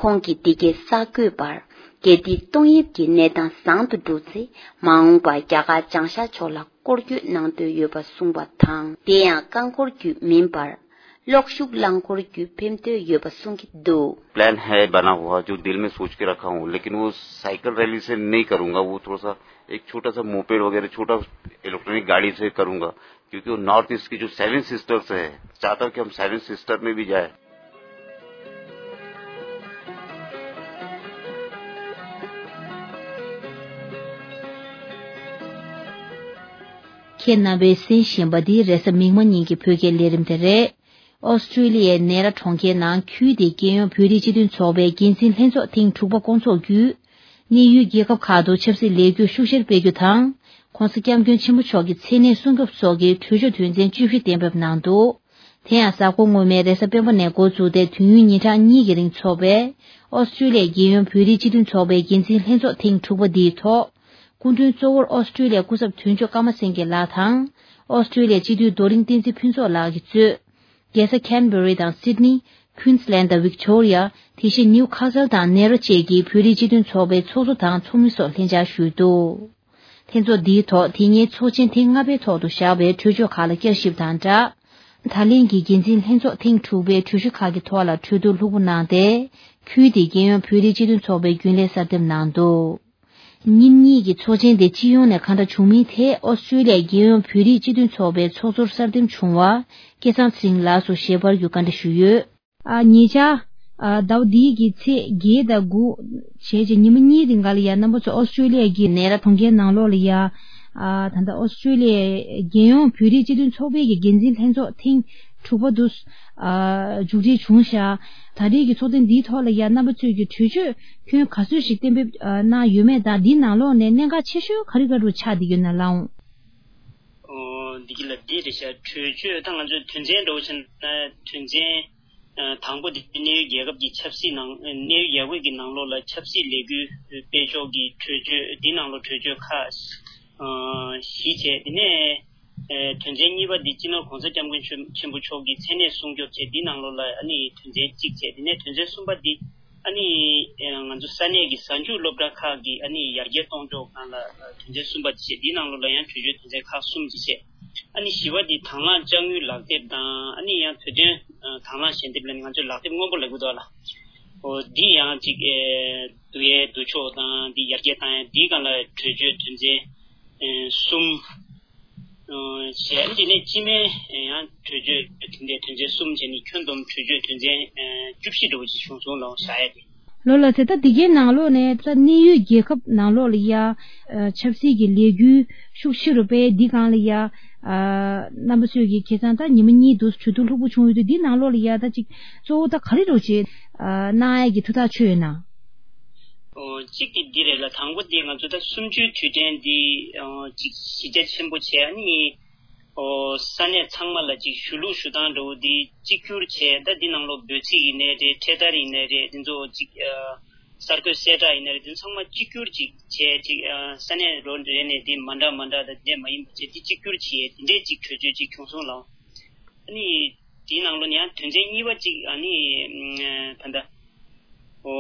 ཁོང་གིས་འདི་གའི་གསར་འགོད་པར། རྒྱལ་དེའི་ཏོག་དབྱིབས་ཀྱི་གནས་སྟངས་བཟང་དུ་འགྲོ་ཚེ། མ་འོངས་པར་རྒྱ་གར་བྱང་ཤར་ཕྱོགས་ལ་སྐོར་སྐྱོད་གནང་འདོད་ཡོད་པ་གསུངས་པ་དང་། དེ་ཡང་རྐང་འཁོར་བརྒྱུད་མིན་པར། གློག་ཤུགས་རླངས་འཁོར་བརྒྱུད་ཕེབས་འདོད་ཡོད་པ་གསུང་གི་འདུག प्लान है, बना हुआ, जो दिल में सोच के रखा हूँ, लेकिन वो साइकिल रैली से नहीं करूँगा। वो थोड़ा सा एक छोटा सा मोपेड वगैरह, छोटा इलेक्ट्रॉनिक गाड़ी से करूँगा, क्योंकि वो नॉर्थ ईस्ट की जो सेवन सिस्टर्स है, चाहता हूँ कि हम सेवन सिस्टर में भी जाए। ཁྱེད་རྣམ་པས་གསན་བཞིན་པ་འདི་རེས་གཟའ་མིག་དམར་ཉིན་གྱི་བོད་སྐད་ལས་རིམ་དེ་རེད། ཨོ་སི་ཀྲི་ལི་ཡའི་ནེ་ར་གྲོང་ཁྱེར་ནང་ཁུལ་དེའི་རྒྱལ་ཡོངས་བོད་རིགས་སྤྱི་མཐུན་ཚོགས་པའི་འགན་འཛིན་ལྷན་ཚོགས་ཐེངས་དྲུག་པ་བསྐོང་ཚོགས་བརྒྱུད། གནས་ཡུལ་རྒྱལ་ཁབ་ཁག་ཏུ་ཆབ་སྲིད་ལས་འགུལ་ཤུགས་ཆེར་སྤེལ་རྒྱུ་དང་། ྋགོང་ས་ྋསྐྱབས་མགོན་ཆེན་པོ་མཆོག་གི་མཚན་གནས་སྲུང་སྐྱོབ་སོགས་ཀྱི་གྲོས་ཆོད་དོན་ཚན་བཅུ་བཞི་གཏན་འབེབས་གནང་འདུག་དེ་ཡང་གཟའ་འཁོར་སྔོན་མའི་རེས་གཟའ་སྤེན་པ་ནས་འགོ་བཙུགས་ཏེ་དུས་ཡུན་ཉིན་གྲངས་གཉིས་ཀྱི་རིང་འཚོགས་པའི་ཨོ་སི་ཀྲི་ལི་ཡའི་རྒྱལ་ཡོངས་བོད་རིགས་སྤྱི་མཐུན་ཚོགས་པའི་འགན་འཛིན་ལྷན་ཚོགས་ཐེངས་དྲུག་པ་འདིའི་ཐོག་སྐུ་མགྲོན་གཙོ་བོར་ཨོ་སི་ཀྲི་ལི་ཡའི་སྐུ་ཚབ་དོན་གཅོད་ཀརྨ་སེང་གེ་ལགས་དང་། ཨོ་སི་ཀྲི་ལི་ཡའི་སྤྱི་འཐུས་རྡོ་རིང་བསྟན་འཛིན་ཕུན་ཚོགས་ལགས་ཀྱིས་གཙོས། རྒྱལ་ས་ཁན་བེ་རི་དང་སིད་ནི། ཁུན་སི་ལན་དང་ཝིག་ཊོ་རི་ཡ། དེ་བཞིན་ནིའུ་ཁ་སལ་དང་ནེ་རོ་བཅས་ཀྱི་བོད་རིགས་སྤྱི་མཐུན་ཚོགས་པའི་ཚོགས་གཙོ་དང་ཚོགས་མི་སོགས་ལྷན་བཅར་ཞུས་འདུག་ལྷན་ཚོགས་འདིའི་ཐོག་དེ་སྔའི་ཚོགས་ཆེན་ཐེངས་ལྔ་པའི་ཐོག་ཏུ་བཞག་པའི་གྲོས་ཆོད་ཁག་ལ་བསྐྱར་ཞིབ་དང་སྦྲགས། ད་ལན་གྱི་འགན་འཛིན་ལྷན་ཚོགས་ཐེངས་དྲུག་པའི་གྲོས་གཞི་ཁག་གི་ཐོག་ལ་གྲོས་བསྡུར་ལྷུག་པོ་གནང་སྟེ། ཁུལ་དེའི་རྒྱལ་ཡོངས་བོད་རིགས་སྤྱི་མཐུན་ཚོགས་པའི་རྒྱུན་ལས་གསར་འདེམས་གནང་འདུག་ཉིན་གཉིས་ཀྱི་ཚོགས་ཆེན་དེ་སྤྱི་ཡོངས་ནས་གང་འདྲ་བྱུང་མིན་ཐད་ཨོ་སི་ཀྲི་ལི་ཡའི་རྒྱལ་ཡོངས་བོད་རིགས་སྤྱི་མཐུན་ཚོགས་པའི་ཚོགས་གཙོར་གསར་འདེམས་བྱུང་བ་སྐལ་བཟང་ཚེ་རིང་ལགས་སུ་ཞལ་པར་བརྒྱུད་བཀའ་འདྲི་ཞུས་ཡོད། ཨ། ཉེ་ཆར། ཨ། ཟླ་བ་འདིའི་གི་ཚེས་བརྒྱད་དང་དགུ་བྱས་རྗེས་ཉི་མ་གཉིས་རིང་ག་ལ་ཡ་རྣམ་པ་ཚོ་ཨོ་སི་ཀྲི་ལི་ཡ་གི་ནེ་ར་གྲོང་ཁྱེར་ནང་ལོགས་ལ་ཡ། ཨ། ད་ལྟ་ཨོ་སི་ཀྲི་ལི་ཡའི་རྒྱལ་ཡོངས་བོད་རིགས་སྤྱི་མཐུན་ཚོགས་པའི་གི་འགན་འཛིན་ལྷན་ཚོགས་ཐེངས་དྲུག་པ་དུ། ཨ། མཇུག་སྒྲིལ་བྱུང་ཤག་ད་རེས་ཀྱི་ཚོགས་ཐེངས་འདིའི་ཐོག་ལ་ཡ་རྣམ་པ་ཚོས་ཀྱི་གྲོས་ཆོད་ཁྱོན་ག་ཚོད་ཞིག་གཏན་འབེབས་གནང་ཡོད་མེད་དང་། འདིའི་ནང་ལོགས་ནས་གནད་འགག་ཆེ་ཤོས་ག་རེ་ག་རུ་ཆགས་བསྡད་ཡོད་ན་ལགས་འོང་། ཨོ། འདི་གི་ལ་འདི་རེད་ཤག་གྲོས་ཆོད་ད་ང་ཚོའི་དོན་ཚན་འདྲ་བོ་བྱས་ན་དོན་ཚན་དང་པོ་དེ་གནས་ཡུལ་རྒྱལ་ཁབ་ཀྱི་ཆབ་སྲིད་ནང་གནས་ཡུལ་རྒྱལ་ཁབ་ཀྱི་ནང་ལོགས་ལ་ཆབ་སྲིད་ལས་འགུལ་སྤེལ་ཕྱོགས་ཀྱི་གྲོས་ཆོད། འདིའི་ནང་ལོགས་གྲོས་ཆོད་ཁག་བཞི་བྱས། དེ་ནས་ ཨེ་དོན་ཚན་གཉིས་པ་འདི་སྤྱི་ནོར་གོང་ས་སྐྱབས་མགོན་ཆེན་པོ་མཆོག་གི་མཚན་གནས་སྲུང་སྐྱོབ་བྱས། འདི་ནང་ལོགས་ལ་ཨ་ནི་དོན་ཚན་གཅིག་བྱས། དེ་ནས་དོན་ཚན་གསུམ་པ་འདི་ཨ་ནི་ཨེ་ང་ཚོ་ས་གནས་ཀྱི་གཟའ་མཇུག་སློབ་གྲྭ་ཁག་གི་ཨ་ནི་ཡར་རྒྱས་གཏོང་ཕྱོགས་སྒང་ལ་ཨ་དོན་ཚན་གསུམ་པ་འདི་བྱས། འདི་ནང་ལོགས་ལ་ཡང་གྲོས་ཆོད་དོན་ཚན་ཁག་གསུམ་ཅིག་བྱས། ཨ་ནི་བཞི་པ་འདི་དང་བླངས་དཔྱ་དངུལ་ལག་དེབ་དང་། ཨ་ནི་ཡང་བོད་དོན་ཨ་དང་བླངས་ཞལ་འདེབས་ལ་ནི་ང་ཚོས་ལག་དེབ་སྔོན་པོ་ལབ་ཀྱི་འདུག་ལ། འོ་འདི་ཡང་ཅིག་ཨེ་བསྡུ་ཡས་བསྡུ་ཕྱོགས་དང་འདི་ཡར་རྒྱས་བཏང་ཡས་འདིའི་སྒང་ལ་གྲོས་ཆོད་དོན་ཚན་ཨེ་གསུམ་ཨེ་བྱས། འདི་ནས་སྤྱི་མོས་ཡང་གྲོས་ཆོད་དེ་འདྲའི་དོན་ཚན་གསུམ་བྱས་ནས་ཁྱོན་བསྡོམས་གྲོས་ཆོད་དོན་ཚན་ཨེ་བཅུ་བཞི་འདྲ་བོ་ཅིག་བྱུང་སོང་ལ་བཞག་ཡས་དེ། ལོ་ལ་ཚེ་ད་འདི་གའི་ནང་ལོགས་ནས་ད་གནད་ཡོད་རྒྱལ་ཁབ་ནང་ལོགས་ལ་ཡ་ཨ་ཆབ་སྲིད་ཀྱི་ལས་འགུལ་ཤུགས་ཆེ་རུ་སྤེལ། འདི་སྒང་ལ་ཡ་ཨ་རྣམ་པ་ཚོས་ཀྱི་ཁ་སང་ད་ཉི་མ་གཉིས་འདུག་གྲོས་བསྡུར་ལྷུག་པོ་བྱུང་ཡོད་དུས། འདི་ནང་ལོགས་ལ་ཡ་ད་ཅིག་གཙོ་བོ་ད་ག་རེ་རོགས་བྱེད་ཨ་གནང་ཡས་ཀྱི་ཐུགས་ཐག་ཆོད་ཡོད་ན། ཨོ་གཅིག་གི་འདི་རེད་ལ། དང་པོ་འདི་ང་ཚོ་ད་གསུམ་བཅུའི་དུས་དྲན་འདི་ཨོ་ཅིག་གཞི་རྒྱ་ཆེན་པོ་བྱས། ཨ་ནི་ཨོ་ས་གནས་ཚང་མ་ལ་ཅིག་ཞུ་ལུགས་ཞུ་སྟངས་འདྲ་བོ་འདི་གཅིག་གྱུར་བྱས། ད་འདི་ནང་ལོགས་འབོད་ཚིག་ཡིན་ནའི་རེད། འཕྲེད་དར་ཡིན་ནའི་རེད། འདི་ཚོ་ཅིག་ཨ་གསར་འགོད་གསལ་བསྒྲགས་ཡིན་ནའི་རེད། འདི་ཚང་མ་གཅིག་གྱུར་ཅིག་བྱས། ཅིག་ཨ་ས་གནས་རོ་རེ་ནས་འདི་མ་འདྲ་མ་འདྲ་དང་འདི་མ་ཡིན་པ་བྱས། འདི་གཅིག་གྱུར་བྱས། འདི་འདྲའི་ཅིག་གྲོས་ཆོད་ཅིག་བྱུང་སོང་ལགས། ཨ་ནི་དེའི་ནང་ལོགས་ནས་ཡང་དོན་ཚན་གཉིས་པ་གཅིག་ཨ་ནི་ད་ལྟ་ཨོ་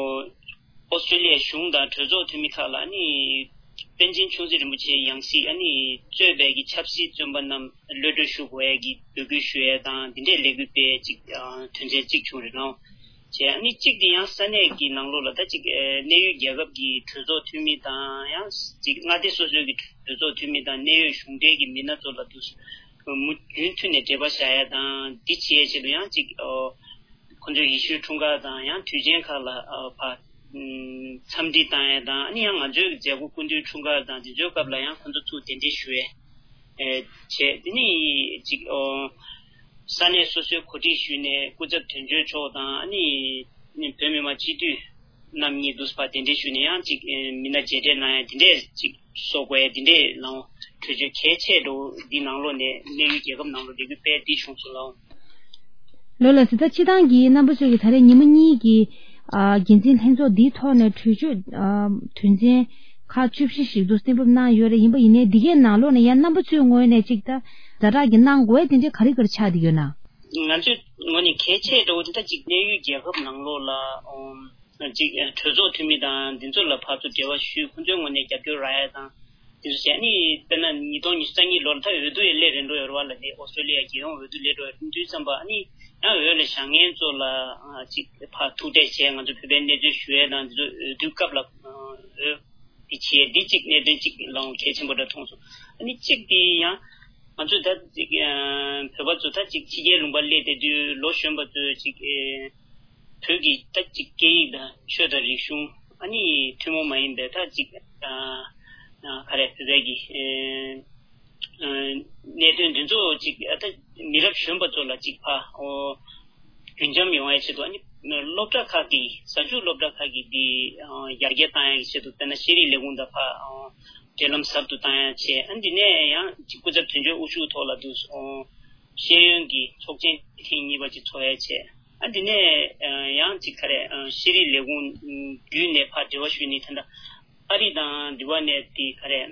ཨོ་སི་ཀྲོ་ལི་ཡའི་གཞུང་དང་གྲོས་ཚོགས་འཐུས་མི་ཁག་ལ་ཨ་ནི་པཎ་ཆེན་ཆུང་སྲིད་རིན་པོ་ཆེའི་ཡང་སྲིད་ཨ་ནི་གཙོས་པའི་གི་ཆབ་སྲིད་བཙོན་པ་རྣམས་གློད་གྲོལ་ཞུ་དགོས་ཡས་ཀྱི་འབོད་སྐུལ་ཞུ་ཡས་དང་། འདི་འདྲའི་ལས་འགུལ་སྤེལ་ཡས་གཅིག་ཨ་དོན་ཚན་གཅིག་བྱུང་རེད་ལགས། བྱས། ཨ་ནི་གཅིག་དེ་ཡང་ས་གནས་ཀྱི་ནང་ལོགས་ལ་ད་ཅིག་ཨེ་གནད་ཡོད་རྒྱལ་ཁབ་ཀྱི་གྲོས་ཚོགས་འཐུས་མི་དང་། ཡང་ཅིག་མངའ་སྡེ་སོ་སོའི་གི་གྲོས་ཚོགས་འཐུས་མི་དང་གནད་ཡོད་གཞུང་འབྲེལ་གྱི་མི་སྣ་ཚོ་ལ་དུ་མུ་རྒྱུན་མཐུད་ནས་འབྲེལ་བ་བཞག་ཡ་དང་། འདི་བྱེད་ཡའི་ཆེད་དུ་ཡང་ཅིག་ཨོ་ཁོ་ཚོའི་ཡེ་ཤུའི་འཁྲུངས་སྐར་དང་ཡང་དུས་ཆེན་ཁག་ལ་ཨ་ཕ་འཚམས་འདྲི་བཏང་ཡ་དང་། ཨ་ནི་ཡང་ང་ཚོའི་མཛད་སྒོ་སྐུ་མདུན་འཁྲུངས་སྐར་དང་འདི་ཚོའི་སྐབས་ལ་ཡང་ཁོ་ཚོ་ཚུར་གདན་འདྲེན་ཞུ་ཡས། ཨེ་བྱས། དེ་ནས་ཅིག་ཨོ་ས་གནས་སོ་སོའི་གོ་སྒྲིག་ཞུས་ནས་སྐུ་ཚབ་དོན་གཅོད་མཆོག་དང་། ཨ་ནི་བོད་མི་མང་སྤྱི་འཐུས་རྣམ་གཉིས་འདུག་སེ་ཕར་གདན་འདྲེན་ཞུས་ནས་ཡང་ཅིག་ཨེ་མི་སྣ་མཇལ་འཕྲད་གནང་ཡ་དེ་འདྲས་ཅིག་བཟོ་དགོས་ཡ་དེ་འདྲས་ལའང་གྲོས་ཆོད་གལ་ཆེ་འགྲོ་འདི་ནང་ལོགས་ནས་གནད་ཡོད་རྒྱལ་ཁབ་ནང་ལོགས་ལས་འགུལ་སྤེལ་འདི་བྱུང་སོང་ལའང་། ལོ་ལ་སི་ད་སྤྱི་བཏང་གི་རྣམ་པ་ཚོས་ཀྱི་ད་རེས་ཉི་མ་གཉིས་ཀྱི་ཨ་འགན་འཛིན་ལྷན་ཚོགས་འདིའི་ཐོག་ནས་གྲོས་ཆོད་ཨ་དོན་ཚན་ཁག་བཅུ་བཞི་ཞིག་ཏུ་གསན་འབུལ་གནང་ཡོད་རེད། ཡིན་པ་ཡིན་ནའི་འདི་གའི་ནང་ལོགས་ནས་ཡང་རྣམ་པ་ཚོའི་ངོས་ནས་ཅིག་ད་ཛ་དྲག་གི་གནང་དགོས་དེ་འདྲའི་ག་རེ་ག་རེ་ཆགས་བསྡད་ཡོད་ན། ང་ཚོའི་ངོས་ནས་གལ་ཆེ་འགྲོ་བ་དེ་ད་ཅིག་གནད་ཡོད་རྒྱལ་ཁབ་ནང་ལོགས་ལ་ཨོ་ཅིག་གྲོས་ཚོགས་འཐུས་མི་དང་འདི་ཚོ་ལ་ཕར་ཚུར་འབྲེལ་བ་ཞུས། ཁོང་ཚོའི་ངོས་ནས་རྒྱབ་སྐྱོར་རག་ཡ་དང་། དེ་ཚོ་བྱས་ནས་དཔེར་ན་ཉིས་སྟོང་ཉི་ཤུ་རྩ་གཉིས་ལོར་ད་འོས་བསྡུ་ཡི་སླེབས་རན་འགྲོ་ཡོད་རེད་བ་ལ། དེ་ཨོ་སི་ཀྲོ་ལི་ཡ་རྒྱལ་ཡོངས་འོས་བསྡུ་སླེབས་འགྲོ་ཡོད་དུས་ཙམ་པ། ཨ་ནི་ཡང་འོས་ལ་བཞེངས་མཁན་ཚོ་ལ་ཨ་ཅིག་ཕར་ཐུག་འཕྲད་བྱས་ང་ཚོ་བོད་པའི་གནས་ཚུལ་ཞུ་ཡས་དང་། འདི་ཚོ་འོས་བསྡུ་སྐབས་ལ་ཨ་འོས་འདི་བྱས་འདི་གཅིག་གནད་དོན་གཅིག་ལའང་གལ་ཆེན་པོ་འདྲ་མཐོང་སོང་། ཨ་ནི་གཅིག་དེ་ཡང་ང་ཚོ་ད་ཅིག་ཨ་བོད་པ་ཚོ་ད་ཅིག་ཕྱི་རྒྱལ་ལུང་པ་སླེབས་བསྡད་དུས་ལོ་གཞོན་པ་ཚོས་ཅིག་ཨེ་བོད་ཀྱི་ད་ཅིག་སྐད་ཡིག་དང་ཆོས་དང་རིག་གཞུང་། ཨ་ནི་ཐུན་མོང་མ་ཡིན་པའི་ད་ཅིག་ཨ་ཨ་ག་རེ་བོད་པའི་གི་ཨེ་ཨ་གནད་དོན་འདི་ཚོ་ཅིག་ཨ་ད་མི་རབས་གཞོན་པ་ཚོ་ལ་ཅིག་ཕར་ཨོ་རྒྱུན་འབྱམས་ཡོང་ཡའི་ཆེད་དུ། ཨ་ནི་སློབ་གྲྭ་ཁག་གི་གཟའ་མཇུག་སློབ་གྲྭ་ཁག་གི་འདི་ཨ་ཡར་རྒྱས་བཏང་ཡའི་ཆེད་དུ། དཔེར་ན་ཤེས་རིག་ལས་ཁུངས་དང་ཕར་ཨ་འབྲེལ་ལམ་ཟབ་ཏུ་བཏང་ཡ་བྱས། ཨ་འདི་ནས་ཡང་ཅིག་སྐུ་ཚབ་དོན་གཅོད་དབུ་བཞུགས་ཐོག་ལ་དུ་ཨོ་ཤེས་ཡོན་གྱི་ཚོགས་ཆེན་ཐེངས་གཉིས་པ་ཅིག་ཚོགས་ཡ་བྱས། ཨ་འདི་ནས་ཨ་ཡང་ཅིག་ག་རེ་ཨ་ཤེས་རིག་ལས་ཁུངས་བརྒྱུད་ནས་ཕར་འབྲེལ་བ་ཞུས་ནས་ད་ལྟ་ཨ་རི་དང་འདི་བ་ནས་དེ་ག་རེ་ཨ་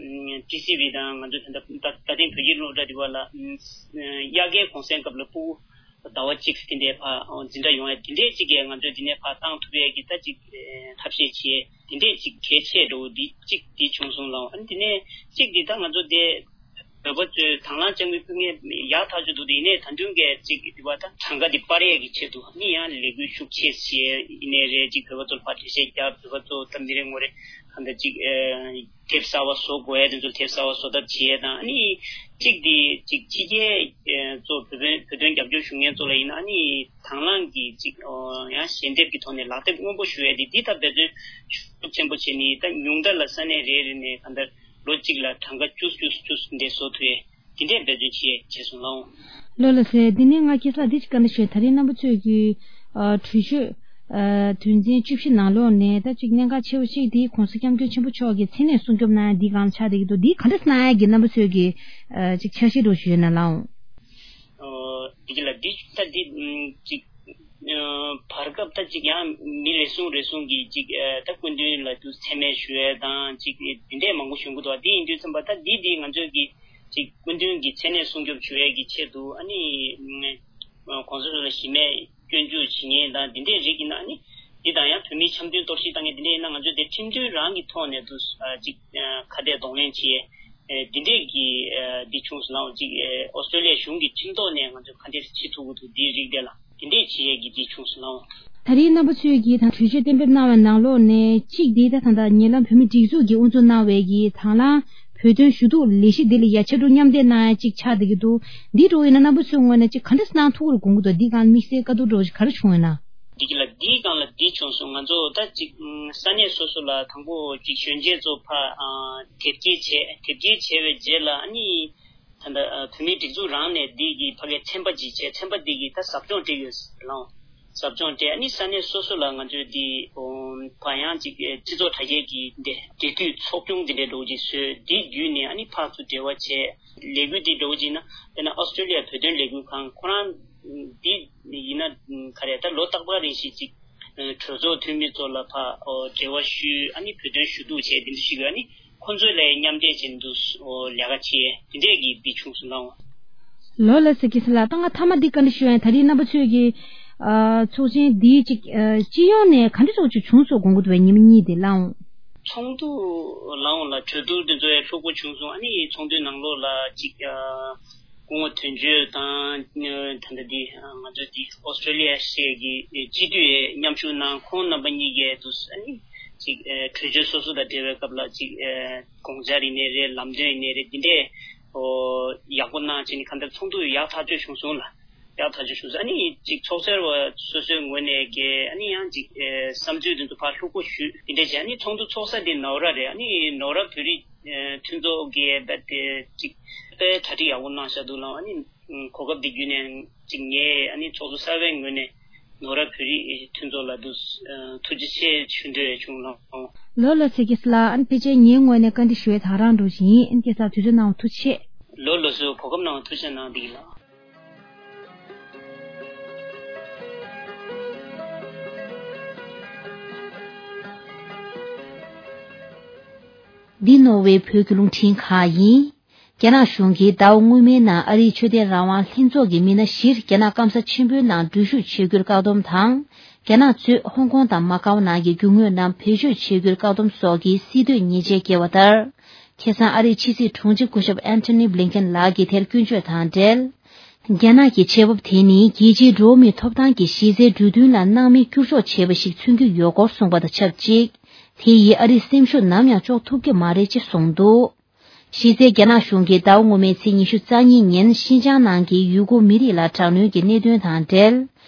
ཊི་སི་ཝི་དང་ང་ཚོ་ད་ལྟ་ད་ཐེངས་བོད་ཀྱི་སློབ་གྲྭ་འདི་བ་ལ་ཨ་དབྱར་ཁའི་གུང་སེང་སྐབས་ལ་ཕྲུ་གུ་ཟླ་བ་གཅིག་དེ་འདྲའི་ཕར་འཛིན་གྲྭ་ཡོང་ཡ་དེ་འདྲའི་ཅིག་གིས་ང་ཚོས་འདི་ནས་ཕར་བཏང་ཐུབ་ཡ་གི་ད་ཅིག་ཐབས་ཤེས་བྱས། དེ་འདྲའི་ཅིག་གལ་ཆེ་འགྲོ་འདི་གཅིག་འདི་བྱུང་སོང་ལ། ཨ་ནི་དེ་ནས་གཅིག་འདི་ད་ང་ཚོ་དེ་བོད་པ་ཚོས་དང་བླངས་དཔྱ་དངུལ་ཕུལ་མཁན་ཡག་ཐག་ཆོད་འདུག་དེ་ཡིན་ནའི་ད་དུང་གི་ཅིག་འདི་བ་ད་གྲངས་ཀ་འདི་སྤར་ཡས་ཀྱི་ཆེད་དུ་ཨ་ནི་ཡང་ལས་འགུལ་ཤུགས་ཆེ་བྱས་ཡིན་ནའི་རེད། ཅིག་བོད་པ་ཚོར་ཕར་འགྲེལ་བཤད་རྒྱབ། བོད་པ་ཚོ་ད་མི་རེ་ངོ་རེ་གང་ལྟར་ཅིག་ཨེ་དེབ་གསར་བ་བཟོ་དགོས་ཡས་དེ་ཚོ་དེབ་གསར་བ་བཟོ་ཐབས་བྱེད་ཡས་དང་། ཨ་ནི་གཅིག་དེ་ཅིག་ཕྱི་རྒྱལ་ཨེ་ཚོ་བོད་དོན་བོད་དོན་རྒྱབ་སྐྱོར་ཞུ་མཁན་ཚོ་ལ་ཡིན་ན་ཨ་ནི་དང་བླངས་ཀྱི་ཅིག་ཨོ་ཡང་ཞལ་འདེབས་ཀྱི་ཐོག་ནས་ལག་དེབ་སྔོན་པོ་ཞུ་ཡས་དེ་འདི་ད་འབད་བརྩོན་ཤུགས་ཆེན་པོ་བྱས་ནས། ད་ཉུང་མཐའ་ལ་ས་གནས་རེ་རེ་ནས་གང་ལྟར་ལོ་གཅིག་ལ་གྲངས་ཀ་བཅུ་བཅུ་བཅུ་འདྲ་བཟོ་ཐུབ་ཡས་དེ་འདྲས་འབད་བརྩོན་བྱེད་བྱས་སོང་ལགས། ལོ་ལ་སེ་འདི་ནས་ང་ཁྱེད་ལ་འདི་ཅིག་བཀའ་འདྲི་ཞུ། ད་རེས་རྣམ་པ་ཚོས་ཀྱི་ཨ་གྲོས་ཆོད་ཨ་དོན་ཚན་བཅུ་བཞི་ནང་ལོགས་ནས་ད་ཅིག་གནད་འགག་ཆེ་བ་ཞིག་དེ་༸གོང་ས་༸སྐྱབས་མགོན་ཆེན་པོ་མཆོག་གི་མཚན་གནས་སྲུང་སྐྱོབ་གནང་ཡ་འདི་སྒང་ཆགས་བསྡད་ཀྱི་འདུག་འདི་ག་འདྲ་གནང་ཡ་གི་རྣམ་པ་ཚོས་ཀྱི་ཨ་ཅིག་འཆར་གཞི་འདྲ་ཞུས་ན་ལགས། ཨོ་དེ་ལ་འདི་ད་འདི་ཅིག་ཨ་བར་སྐབས་ད་ཅིག་ཡང་མི་རེ་ཟུང་རེ་ཟུང་གིས་ཅིག་ཨ་ད་སྐུ་མདུན་ལ་དུ་མཚན་སྨད་ཞུ་ཡས་དང་ཅིག་འདི་འདྲས་མང་པོ་བྱུང་གི་འདུག་དེ་ཡིན་དུས་ཙམ་པ་ད་འདི་འདི་ང་ཚོས་ཀྱི་ ཅིག་སྐུ་མདུན་གྱི་མཚན་གནས་སྲུང་སྐྱོབ་བྱེད་ཡས་ཀྱི་ཆེད་དུ་ཨ་ནི་གོང་ས་མཆོག་ལ་གཞི་མེད་སྐྱོན་བརྗོད་བྱེད་མཁན་དང་འདི་འདྲའི་རིགས་ཡིན་ན་ཨ་ནི་འདི་དང་ཡང་བོད་མིའི་འཆམ་མཐུན་གཏོར་བཤིག་བཏང་མཁན་འདི་འདྲ་ཡིན་ན་ང་ཚོས་དེ་ཁྲིམས་མཐུན་རང་གི་ཐོག་ནས་དུ་ཅིག་ཁ་གཏད་གདོང་ལེན་བྱེད་ཡས་འདི་འདྲས་ཀྱི་འདི་བྱུང་སོང་ལ་ཅིག་ཨོ་སི་ཀྲོ་ལི་ཡ་གཞུང་གི་ཁྲིམས་ཐོག་ནས་ང་ཚོས་ག་འདྲས་བྱེད་ཐུབ་ཀྱི་འདུག་འདིའི་རིགས་དེ་ལ། དེ་འདྲས་བྱེད་ཡས་ཀྱི་དེ་བྱུང་སོང་ལགས། ད་རེས་རྣམ་པ་ཚོས་ཀྱིས་དང་གྲོས་ཆོད་གཏན་འབེབས་གནང་བའི་ནང་ལོགས་ནས་གཅིག་དེ་ད་ད་ལྟ་ཉེ་ལམ་བོད་མི་སྒྲིག་འཛུགས་ཀྱིས་དབུ་འཛུགས་གནང་བའི་གི་དང་བླངས་བོད་དོན་ཞུ་གཏུག་ལས་གཞི་འདི་ལ་ཡ་ཕྱར་གྲུ་མཉམ་འདེགས་གནང་ཡ་གཅིག་ཆགས་བསྡད་ཀྱི་འདུག་འདི་འགྲོ་ཡིན་ན་རྣམ་པ་ཚོའི་ངོས་ནས་གཅིག་ག་འདྲས་གནང་ཐུབ་ཀྱི་རེད་དགོངས་ཀྱི་འདུག་འདི་སྒང་དམིགས་བསལ་བཀའ་བསྡུར་འགྲོ་གི་ག་རེ་བྱུང་ཡོད་ན། འདི་ག་ལ་འདིའི་སྒང་ལ་འདི་བྱུང་སོང་། ང་ཚོ་ད་ཅིག་ས་གནས་སོ་སོ་ལ་དང་པོ་ཅིག་གཞོན་སྐྱེས་ཚོ་ཕ་དེབ་སྐྱེལ་བྱས། དེབ་སྐྱེལ་བྱས་པའི་རྗེས་ལ་ཨ་ནི། ད་ལྟ་བོད་མིའི་སྒྲིག་འཛུགས་རང་ནས་འདི་གི་ཕ་གའི་ཚན་པ་ཅིག་བྱས། ཚན་པ་འདི་གིས་ད་ཟབ་སྦྱོང་སྤྲད་ཡོད་ཟེར་ལོང་། ཟབ་སྦྱོང་སྤྲད། ཨ་ནི་ས་གནས་སོ་སོ་ལ་ང་ཚོས་འདི་བ་ཡང་ཅིག་སྤྱི་ཚོགས་དྲ་རྒྱའི་གི་འདི་འབྲེལ་མཐུད་ཚོགས་ཆུང་འདི་འདྲའི་འགྲོ་ཅིག་བཟོས། འདི་བརྒྱུད་ནས་ཨ་ནི་ཕར་ཚུར་འབྲེལ་བ་བྱས། ལས་འགུལ་འདི་འགྲོ་ཅིག་ན་དཔེར་ན་ཨོ་སི་ཀྲོ་ལི་ཡ་བོད་དོན་ལས་འགུལ་ཁང་ཁོ་རང་འདི་ཡིན་ན་ག་རེ་ད་ལོ་རྟག་པར་རེ་བཞིན་ཅིག་གྲོས་ཚོགས་འཐུས་མི་ཚོ་ལ་ཕར་འབྲེལ་བ་ཞུས། ཨ་ནི་བོད་དོན་ཞུ་གཏུག་བྱས་འདི་འདྲ་ཞིག་ཡོད། ཨ་ནི། ཁོང་ཚོའི་ལས་མཉམ་འབྲེལ་བྱས་འདུག་ལས་ཀ་བྱས་དེ་འདྲས་ཀྱི་འདི་བྱུང་སོང་ལགས། ལོ་ལ་སི་ཀི་སི་ལགས། ད་ང་ཐ་མ་འདི་བཀའ་འདྲི་ཞུ་ཡ་ཡིན། ད་རེས་རྣམ་པ་ཚོས་ཀྱི་ཨ་ཚོགས་ཆེན་འདིའི་ཅིག་ཨ་སྤྱི་ཡོངས་ནས་ག་འདྲ་ཚོགས་ཆུང་བྱུང་སོང་དགོངས་ཀྱི་འདུག་པས་ཉིན་མ་གཉིས་དེ་ལའང་། ཚོགས་འདུ་ལའང་ལ་གྲོས་བསྡུར་འདི་ཚོ་ཡང་ལྷུག་པོ་བྱུང་སོང་། ཨ་ནི་ཚོགས་འདུའི་ནང་ལོགས་ལ་ཅིག་ཨ། སྐུ་ངོ་དོན་གཅོད་དང་ད་ལྟ་འདི་ང་ཚོ་འདི་ཨོ་སི་ཀྲོ་ལི་ཡ་ཞེས་ཀྱི་སྤྱི་འཐུས་མཉམ་ཞུགས་གནང་། ཁོང་རྣམ་པ་གཉིས་ཀས་དུ་ཨ་ནི་ཅིག་གྲོས་ཆོད་སོ་སོ་དང་འབྲེལ་བའི་སྐབས་ལ་ཅིག་དགོངས་འཆར་ཡིན་ནའི་རེད། ལམ་སྟོན་ཡིན་ནའི་རེད། འདི་འདྲས་ཡག་པོ་གནང་བྱས་ནས་གང་ལྟར་ཚོགས་འདུ་ཡག་ཐག་ཆོད་བྱུང་སོང་ལ། ཡག་ཐག་ཆོད་བྱུང་སོང་། ཨ་ནི་ཅིག་ཚོགས་ཟུར་བ་སོ་སོའི་ངོས་ནས་ཀྱི་ཨ་ནི་ཡང་ཅིག་བསམ་ཚུལ་དེ་ཚོ་ཕར་ལྷུག་པོ་ཞུས། འདི་འདྲས་བྱས་ཨ་ནི་ཚོགས་འདུ་ཚོགས་ས་དེ་ནོར་བ་རེད། ཨ་ནི་ནོར་བ་བོད་རིགས། མཐུན་ཚོགས་ཀྱི་རྦད་དེ་ཅིག་དཔེ་གྲ་སྒྲིག་ཡག་པོ་གནང་བཞག་འདུག་ལགས། ཨ་ནི་གོ་སྐབས་འདི་བརྒྱུད་ནས་ཅིག་ངས་ཨ་ནི་ཚོགས་གཙོ་གསར་པའི་ངོས་ནས་ནོར་བ་བོད་རིགས་མཐུན་ཚོགས་ལ་འདུག་ཐུགས་རྗེ་ཆེ་ཞུ་འདོད་བྱུང་ལགས། ལོ་ལ་སི་ཀི་སི་ལགས། ཨ་ནི་ཕལ་ཆེར་ངའི་ངོས་ནས་བཀའ་འདྲི་ཞུ་ཡས་ད་རང་འགྲོ་བཞིན་ཡིན། སྐྱེ་ས་དུས་ཚོད་གནང་བ་ཐུགས་རྗེ་ཆེ། ལོ་ལ་སོ་གོ་སྐབས་གནང་བ་ཐུགས་རྗེ་གནང་འདུག་ལགས། འདི་ནོར་ཝེ་བོད་ཀྱི་རླུང་འཕྲིན་ཁང་ཡིན། རྒྱ་ནག་གཞུང་གིས་ཟླ་བ་སྔོན་མའི་ནང་ཨ་རིའི་ཆོས་དད་རང་དབང་ལྷན་ཚོགས་ཀྱི་མི་སྣ་བཞིར་རྒྱ་ནག་སྐམ་ས་ཆེན་པོའི་ནང་འཛུལ་ཞུགས་བྱེད་རྒྱུར་བཀག་སྡོམ་དང་། རྒྱ་ནག་གཙོས་ཧོང་ཀོང་དང་མ་ཀའོ་ནང་གི་རྒྱུ་དངོས་རྣམས་བེད་སྤྱོད་བྱེད་རྒྱུར་བཀག་སྡོམ་སོགས་ཀྱི་སྲིད་དོན་ཉེས་ཆད་བཀལ་བ་ལྟར། ཁ་སང་ཨ་རིའི་ཕྱི་སྲིད་དྲུང་ཆེ་སྐུ་ཞབས་ཨན་ཐོ་ནི་བྷི་ལིན་ཀེན་ལགས་ཀྱིས་དེར་སྐྱོན་བརྗོད་དང་འབྲེལ། རྒྱ་ནག་གི་ཆེད་འབབ་དེ་ནི་རྒྱལ་སྤྱིའི་འགྲོ་བ་མིའི་ཐོབ་ཐང་གི་གཞི་རྩའི་གྲོས་མཐུན་ལ་སྣང་མེད་བསྐྱུར་འཇོག་བྱས་པ་ཞིག་མཚོན་གྱི་ཡོད་སྐོར་གསུངས་པ་དང་ཆབས་ཅིག་དེ་ཡིས་ཨ་རིའི་སེམས་ཤུགས་ནམ་ཡང་གཅོག་ཐུབ་ཀྱི་མ་རེད་ཅེས་གསུངས་འདུག་གཞི་རྩའི་རྒྱ་ནག་གཞུང་གིས་ཟླ་བ་སྔོན་མའི་ཚེས་ཉི་ཤུ་རྩ་གཉིས་ཉིན་ཤིན་ཅང་ནང་གི་ཡུ་གུར་མི་རིགས་ལ་དྲག་གནོན་གྱི་གནད་དོན་དང་འབྲེལ།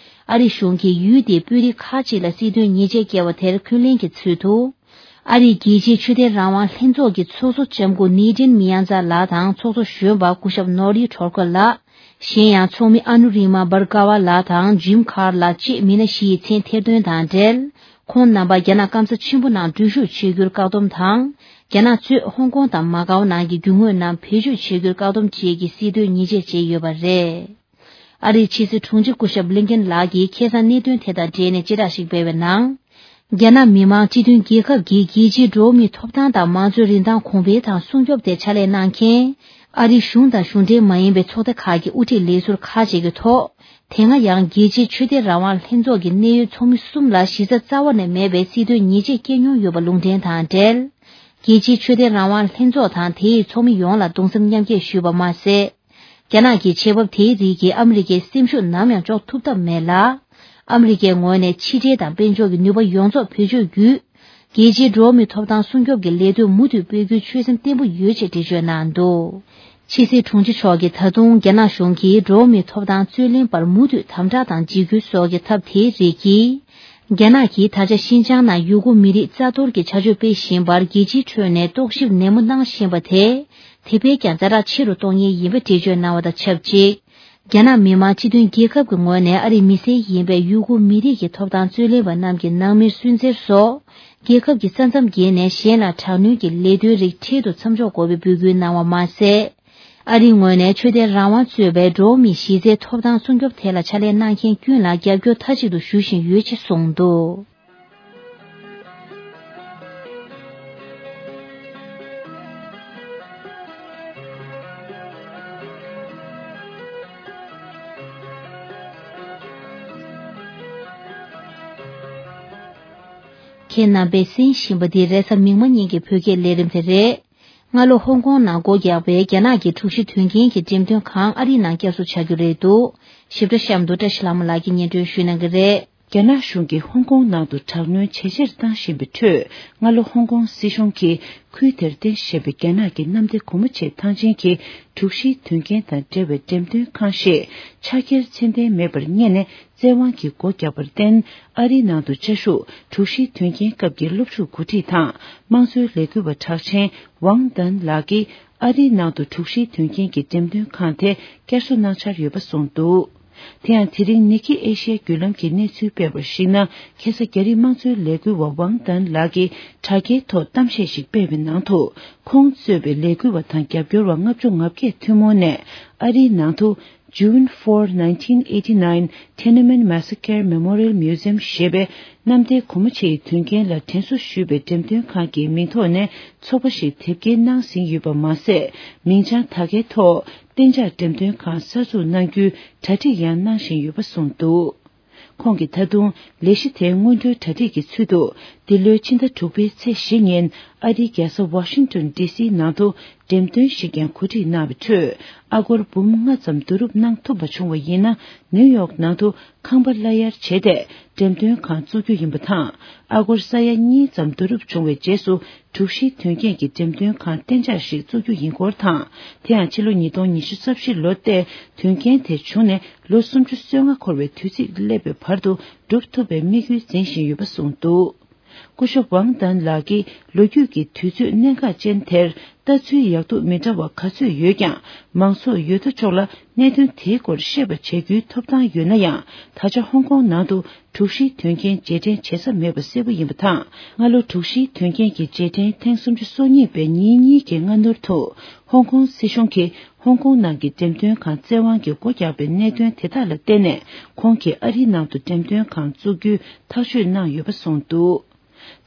ཨ་རི་གཞུང་གིས་ཡུལ་དེའི་དཔོན་རིགས་ཁག་ཅིག་ལ་སྲིད་དོན་ཉེས་ཆད་བཀལ་བ་དེར་འཁོན་ལན་གྱི་ཚུལ་དུ། ཨ་རིའི་རྒྱལ་སྤྱིའི་ཆོས་དད་རང་དབང་ལྷན་ཚོགས་ཀྱི་ཚོགས་གཙོ་ལྕམ་སྐུ་ནེ་ཏྲིན་མི་ཡང་ཛ་ལགས་དང་ཚོགས་གཙོ་གཞོན་པ་སྐུ་ཞབས་ནོ་རི་ཁྲོར་ཁོ་ལགས། གཞན་ཡང་ཚོགས་མི་ཨ་ནུ་རི་མ་བར་ཀ་བ་ལགས་དང་ཇིམ་ཁར་ལགས་བཅས་མི་སྣ་བཞི་ཡི་མཚན་ཐེར་འདོན་དང་འབྲེལ། ཁོང་རྣམ་པ་རྒྱ་ནག་སྐམ་ས་ཆེན་པོ་ནང་འཛུལ་ཞུགས་བྱེད་རྒྱུར་བཀག་སྡོམ་དང་། རྒྱ་ནག་གཙོས་ཧོང་ཀོང་དང་མ་ཀའོ་ནང་གི་རྒྱུ་དངོས་རྣམས་བེད་སྤྱོད་བྱེད་རྒྱུར་བཀག་སྡོམ་བཅས་ཀྱི་སྲིད་དོན་ཉེས་ཆད་བཅད་ཡོད་པ་རེད། ཨ་རིའི་ཕྱི་སྲིད་དྲུང་ཆེ་སྐུ་ཞབས་བྷི་ལིན་ཀེན་ལགས་ཀྱིས་ཁ་སང་གནད་དོན་དེ་དང་འབྲེལ་ནས་བཅད་ཁྲ་ཞིག་སྤེལ་བའི་ནང་། རྒྱ་ནག་མི་དམངས་སྤྱི་མཐུན་རྒྱལ་ཁབ་ཀྱི་རྒྱལ་སྤྱིའི་འགྲོ་བ་མིའི་ཐོབ་ཐང་དང་མང་གཙོའི་རིན་ཐང་གོང་འཕེལ་དང་སྲུང་སྐྱོབ་ཐད་ཕྱག་ལས་གནང་མཁན། ཨ་རིའི་གཞུང་དང་གཞུང་འབྲེལ་མ་ཡིན་པའི་ཚོགས་སྡེ་ཁག་གི་དབུ་ཁྲིད་ལས་ཟུར་ཁག་ཅིག་གི་ཐོག་དེ་སྔ་ཡང་རྒྱལ་སྤྱིའི་ཆོས་དད་རང་དབང་ལྷན་ཚོགས་ཀྱི་གནད་ཡོད་ཚོགས་མི་གསུམ་ལ་གཞི་རྩ་རྩ་བ་ནས་མེད་པའི་སྲིད་དོན་ཉེས་ཆད་བཀལ་མྱོང་ཡོད་པ་ལུང་འདྲེན་དང་འབྲེལ། རྒྱལ་སྤྱིའི་ཆོས་དད་རང་དབང་ལྷན་ཚོགས་དང་དེའི་ཚོགས་མི་ཡོངས་ལ་གདུང་སེམས་མཉམ་སྐྱེད་ཞུས་པ་མ་ཟད། རྒྱ་ནག་གི་ཆེད་འབབ་དེའི་རིགས་ཀྱིས་ཨ་མི་རི་ཀའི་སེམས་ཤུགས་ནམ་ཡང་གཅོག་ཐུབ་ཐབས་མེད་ལ། ཨ་མི་རི་ཀའི་ངོས་ནས་ཕྱི་འབྲེལ་དང་དཔལ་འབྱོར་གྱི་ནུས་པ་ཡོངས་རྫོགས་བེད་སྤྱོད་བརྒྱུད། རྒྱལ་སྤྱིའི་འགྲོ་བ་མིའི་ཐོབ་ཐང་སྲུང་སྐྱོབ་ཀྱི་ལས་དོན་མུ་མཐུད་སྤེལ་རྒྱུའི་ཆོད་སེམས་བརྟན་པོ་ཡོད་ཅེས་འགྲེལ་བརྗོད་གནང་འདུག་ཕྱི་སྲིད་དྲུང་ཆེ་མཆོག་གིས་ད་དུང་རྒྱ་ནག་གཞུང་གིས་འགྲོ་བ་མིའི་ཐོབ་ཐང་རྩོད་ལེན་པར་མུ་མཐུད་དམ་དྲག་དང་འཇིགས་སྐུལ་སོགས་ཀྱི་ཐབས་དེའི་རིགས་ཀྱིས། རྒྱ་ནག་གིས་ད་ཆ་ཤིན་ཅང་ནང་ཡུ་གུར་མི་རིགས་རྩ་གཏོར་གྱི་བྱ་སྤྱོད་སྤེལ་བཞིན་པར་རྒྱལ་སྤྱིའི་ཁྲོད་ནས་རྟོག་ཞིབ་ནན་མོ་གནང་བཞིན་པ་དེ། དེ་བས་ཀྱང་ཛ་དྲག་ཆེ་རུ་གཏོང་ངེས་ཡིན་པའི་འགྲེལ་བརྗོད་གནང་བ་དང་ཆབས་ཅིག་རྒྱ་ནག་མི་དམངས་སྤྱི་མཐུན་རྒྱལ་ཁབ་ཀྱི་ངོས་ནས་ཨ་རིའི་མི་སེར་ཡིན་པའི་ཡུ་གུར་མི་རིགས་ཀྱི་ཐོབ་ཐང་རྩོད་ལེན་པ་རྣམས་ཀྱི་ནང་མིར་སུན་གཙེར་སོགས། རྒྱལ་ཁབ་ཀྱི་ས་མཚམས་བརྒལ་ནས་གཞན་ལ་དྲག་གནོན་གྱི་ལས་དོན་རིགས་འཕྲལ་དུ་མཚམས་འཇོག་དགོས་པའི་འབོད་སྐུལ་གནང་བ་མ་ཟད། ཨ་རིའི་ངོས་ནས་ཆོས་དད་རང་དབང་གཙོས་པའི་འགྲོ་བ་མིའི་གཞི་རྩའི་ཐོབ་ཐང་སྲུང་སྐྱོབ་ཐད་ལ་ཕྱག་ལས་གནང་མཁན་ཀུན་ལ་རྒྱབ་སྐྱོར་མཐའ་གཅིག་ཏུ་ཞུ་བཞིན་ཡོད་ཅེས་གསུངས་འདུག་ཁྱེད་རྣམ་པས་གསན་བཞིན་པ་འདི་རེས་གཟའ་མིག་དམར་ཉིན་གྱི་བོད་སྐད་ལས་རིམ་དེ་རེད། སྔ་ལོ་ཧོང་ཀོང་ནང་སྒོ་བརྒྱབ་པའི་རྒྱ་ནག་གི་དྲུག་བཞི་དོན་རྐྱེན་གྱི་འགྲེམས་སྟོན་ཁང་ཨ་རིའི་ནང་བསྐྱར་གསོ་བྱ་རྒྱུ་རེད་འདུག་ཞིབ་ཕྲ་གཤམ་དུ་བཀྲ་ཤིས་ལྷ་མོ་ལགས་ཀྱིས་སྙན་སྒྲོན་ཞུ་གནང་གི་རེད། རྒྱ་ནག་གཞུང་གིས་ཧོང་ཀོང་ནང་དུ་དྲག་གནོན་ཇེ་ཆེར་བཏང་བཞིན་པའི་ཁྲོད། སྔ་ལོ་ཧོང་ཀོང་སྲིད་གཞུང་གིས་ཁུལ་དེར་རྟེན་བཞེས་པའི་རྒྱ་ནག་གི་གནམ་བདེ་སྒོ་མོ་ཆེའི་ཐང་ཆེན་གྱི་དྲུག་བཞིའི་དོན་རྐྱེན་དང་འབྲེལ་བའི་འགྲེམས་སྟོན་ཁང་ཞེས་ཕྱག་འཁྱེར་ཚད་ལྡན་མེད་པར་བསྙད་ནས། བཙན་དབང་གིས་སྒོ་བརྒྱབ་པར་བརྟེན། ཨ་རིའི་ནང་དུ་བཅའ་བཞུགས་དྲུག་བཞིའི་དོན་རྐྱེན་སྐབས་ཀྱི་སློབ་ཕྲུག་འགོ་ཁྲིད་དང་དམངས་གཙོའི་ལས་འགུལ་བ་གྲགས་ཅན་ཝང་ཏན་ལགས་ཀྱིས། ཨ་རིའི་ནང་དུ་དྲུག་བཞིའི་དོན་རྐྱེན་གྱི་འགྲེམས་སྟོན་ཁང་དེ་བསྐྱར་གསོ་གནང་འཆར་ཡོད་པ་གསུངས་འདུག་དེ་ཡང་། དེ་རིང་ནི་ཁི་ཨེ་ཤི་ཡ་བརྒྱུད་ལམ་གྱིས་གནས་ཚུལ་སྤེལ་བར་གཞིགས་ན། ཁ་སང་རྒྱ་རིགས་དམངས་གཙོའི་ལས་འགུལ་བ་ཝང་ཏན་ལགས་ཀྱིས་དྲ་རྒྱའི་ཐོག་གཏམ་བཤད་ཞིག་སྤེལ་བའི་ནང་དུ། ཁོང་གཙོས་པའི་ལས་འགུལ་བ་དང་རྒྱབ་སྐྱོར་བ་ལྔ་བཅུ་ང་བརྒྱད་ཐུན་མོང་ནས་ཨ་རིའི་ནང་དུ། June four, nineteen eighty-nine Tiananmen Massacre Memorial Museum ཞེས་པའི་གནམ་བདེ་སྒོ་མོ་ཆེའི་དོན་རྐྱེན་ལ་དྲན་གསོ་ཞུས་པའི་འགྲེམས་སྟོན་ཁང་གི་མིང་ཐོག་ནས་ཚོགས་པ་ཞིག་དེབ་སྐྱེལ་གནང་ཟིན་ཡོད་པ་མ་ཟད། མིང་བྱང་དག་ཁའི་ཐོག་གཏན་འཇགས་འགྲེམས་སྟོན་ཁང་གསར་འཛུགས་གནང་རྒྱུའི་གྲ་སྒྲིག་ཡང་གནང་བཞིན་ཡོད་པ་གསུངས་འདུག་ཁོང་གིས་ད་དུང་ལས་གཞི་དེའི་སྔོན་འགྲོའི་གྲ་སྒྲིག་གི་ཚུལ་དུ། འདི་ལོའི་ཕྱི་ཟླ་དྲུག་པའི་ཚེས་བཞི་ཉིན་ཨ་རིའི་རྒྱལ་ས་ཝ་ཤིང་ཏོན་ཌི་སིའི་ནང་དུ་འགྲེམས་སྟོན་ཞིག་ཀྱང་གོ་སྒྲིག་གནང་བའི་ཁྲོད། ཨ་སྒོར་འབུམ་ལྔ་ཙམ་བསྡུ་རུབ་གནང་ཐུབ་པ་བྱུང་བ་ཡིན་ན། ནིའུ་ཡོག་ནང་དུ་ཁང་པ་གླ་གཡར་བྱས་ཏེ་འགྲེམས་སྟོན་ཁང་བཙུགས་རྒྱུ་ཡིན་པ་དང་། ཨ་སྒོར་ས་ཡ་གཉིས་ཙམ་བསྡུ་རུབ་བྱུང་བའི་རྗེས་སུ། དྲུག་བཞིའི་དོན་རྐྱེན་གྱི་འགྲེམས་སྟོན་ཁང་གཏན་འཇགས་ཤིག་བཙུགས་རྒྱུ་ཡིན་སྐོར་དང་། དེ་ཡང་ཕྱི་ལོ་ཉིས་སྟོང་ཉི་ཤུ་རྩ་བཞི་ལོ་སྟེ། དོན་རྐྱེན་དེ་བྱུང་ནས་ལོ་སུམ་ཅུ་སོ་ལྔ་འཁོར་བའི་དུས་ཚིགས་སླེབས་པའི་བར་དུ་འགྲུབ་ཐུབ་པའི་དམིགས་ཡུལ་འཛིན་བཞིན་ཡོད་པ་གསུངས་འདུག་སྐུ་ཞབས་ཝང་ཏན་ལགས་ཀྱིས་ལོ་རྒྱུས་ཀྱི་དུས་ཚོད་གནད་འགག་ཅན་དེར་ལྟ་ཚུལ་ཡག་སྡུག་མི་འདྲ་བ་ག་ཚོད་ཡོད་ཀྱང་། མང་ཚོགས་ཡོད་དོ་ཅོག་ལ་གནད་དོན་དེའི་སྐོར་ཤེས་པ་བྱ་རྒྱུའི་ཐོབ་ཐང་ཡོད་ན་ཡང་། ད་ཆ་ཧོང་ཀོང་ནང་དུ་དྲུག་བཞིའི་དོན་རྐྱེན་རྗེས་དྲན་བྱེད་ས་མེད་པ་གསལ་པོ་ཡིན་པ་དང་། སྔ་ལོ་དྲུག་བཞིའི་དོན་རྐྱེན་གྱི་རྗེས་དྲན་ཐེངས་སུམ་ཅུ་སོ་གཉིས་པའི་ཉིན་གཉིས་ཀྱི་སྔ་སྣུར་དུ། ཧོང་ཀོང་སྲིད་གཞུང་གིས་ཧོང་ཀོང་ནང་གི་འགྲེམས་སྟོན་ཁང་བཙན་དབང་གིས་སྒོ་བརྒྱབ་པའི་གནད་དོན་དེ་དག་ལ་བརྟེན་ནས། ཁོང་གིས་ཨ་རིའི་ནང་དུ་འགྲེམས་སྟོན་ཁང་བཙུགས་རྒྱུའི་ཐག་གཅོད་གནང་ཡོད་པ་གསུངས་འདུག་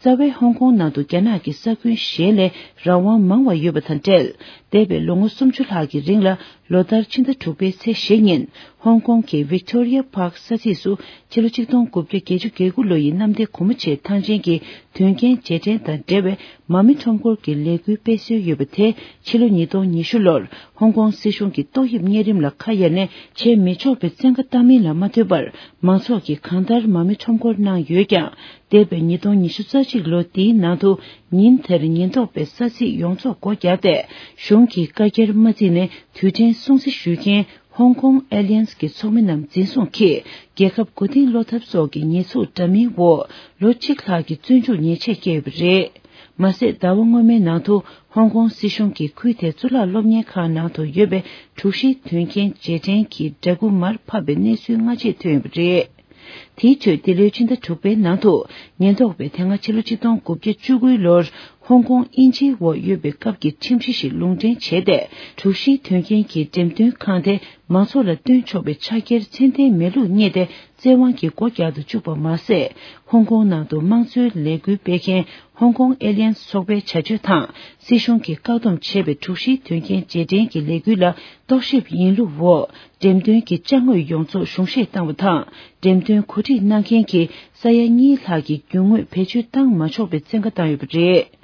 རྩ་བའི་ཧོང་ཀོང་ནང་དུ་རྒྱ་ནག་གི་ས་ཁུལ་གཞན་ལས་རང་དབང་མང་བ་ཡོད་པ་དང་འབྲེལ། འདས་པའི་ལོ་ངོ་སུམ་ཅུ་ལྷག་གི་རིང་ལ། ལོ་ལྟར་ཕྱི་ཟླ་དྲུག་པའི་ཚེས་བཞི་ཉིན། ཧོང་ཀོང་གི་Victoria Park ས་ཚིགས་སུ་ཕྱི་ལོ་ཆིག་སྟོང་དགུ་བརྒྱ་བརྒྱད་ཅུ་གྱ་དགུ་ལོ་ཡི་གནམ་བདེ་སྒོ་མོ་ཆེའི་ཐང་ཆེན་གྱི་དོན་རྐྱེན་རྗེས་དྲན་དང་འབྲེལ་བའི་མ་རྨོས་ཁྲོམ་སྐོར་གྱི་ལས་འགུལ་སྤེལ་སྲོལ་ཡོད་པ་དེ། ཕྱི་ལོ་ཉིས་སྟོང་ཉི་ཤུ་ལོར་ཧོང་ཀོང་སྲིད་གཞུང་གིས་ཏོག་དབྱིབས་གཉན་རིམས་ལ་ཁ་གཡར་ནས་བྱེད་མི་ཆོག་པའི་བཙན་བཀའ་བཏང་མིན་ལ་མ་ལྟོས་པར། མང་ཚོགས་ཀྱིས་གང་ལྟར་མ་རྨོས་ཁྲོམ་སྐོར་གནང་ཡོད་ཀྱང་། འདས་པའི་ཉིས་སྟོང་ཉི་ཤུ་རྩ་གཅིག་ལོ་འདིའི་ནང་དུ། ཉིན་དེར་ཉེན་རྟོག་པས་ས་ཚིགས་ཡོངས་རྫོགས་སྒོ་བརྒྱབ་སྟེ། གཞུང་གིས་བཀའ་རྒྱར་མ་བརྩིས་ནས་དུས་དྲན་སྲུང་བརྩི་ཞུ་མཁན་Hong Kong Alliance གྱི་ཚོགས་མི་རྣམས་འཛིན་བཟུང་གིས། རྒྱལ་ཁབ་མགོ་རྟིང་སློག་ཐབས་སོགས་ཀྱི་ཉེས་འཛུགས་འདྲ་མིན་འོག་ལོ་གཅིག་ལྷག་གི་བཙོན་འཇུག་ཉེས་ཆད་བཀལ་ཡོད་པ་རེད། མ་ཟད། ཟླ་བ་སྔོན་མའི་ནང་དུ་ཧོང་ཀོང་སྲིད་གཞུང་གིས་ཁུལ་དེའི་གཙུག་ལག་སློབ་གཉེར་ཁང་ནང་དུ་ཡོད་པའི་དྲུག་བཞིའི་དོན་རྐྱེན་རྗེས་དྲན་གྱི་འདྲ་སྐུ་མར་ཕབ་པའི་གནས་ཚུལ་སྔ་རྗེས་ཐོན་ཡོད་པ་རེད། དེའི་ཁྲོད་འདི་ལོའི་ཕྱི་ཟླ་དྲུག་པའི་ནང་དུ། ཉེན་རྟོག་པས་དེ་སྔ་ཕྱི་ལོ་ཆིག་སྟོང་དགུ་བརྒྱ་བཅུ་དགུ་ལོར་ཧོང་ཀོང་དབྱིན་ཇིའི་འོག་ཡོད་པའི་སྐབས་ཀྱི་ཁྲིམས་གཞི་ཞིག་ལུང་འདྲེན་བྱས་ཏེ། དྲུག་བཞིའི་དོན་རྐྱེན་གྱི་འགྲེམས་སྟོན་ཁང་དེ་མང་ཚོགས་ལ་སྟོན་ཆོག་པའི་ཕྱག་འཁྱེར་ཚད་ལྡན་མེད་ལུགས་བསྙད་དེ། བཙན་དབང་གིས་སྒོ་རྒྱག་ཏུ་བཅུག་པ་མ་ཟད། ཧོང་ཀོང་ནང་དུ་དམངས་གཙོའི་ལས་འགུལ་སྤེལ་མཁན་Hong Kong Alliance ཚོགས་པའི་བྱ་སྤྱོད་དང་། སྲིད་གཞུང་གིས་བཀག་སྡོམ་བྱས་པའི་དྲུག་བཞིའི་དོན་རྐྱེན་རྗེས་དྲན་གྱི་ལས་འགུལ་ལ་རྟོག་ཞིབ་ཡིན་ལུགས་འོག་འགྲེམས་སྟོན་གྱི་ཅ་དངོས་ཡོངས་རྫོགས་གཞུང་བཞེས་བཏང་བ་དང་། འགྲེམས་སྟོན་གོ་སྒྲིག་གནང་མཁན་གྱི་ས་ཡ་གཉིས་ལྷག་གི་རྒྱུ་དངོས་བེད་སྤྱོད་བཏང་མ་ཆོག་པའི་བཙན་བཀའ་བཏང་ཡོད་པ་རེད།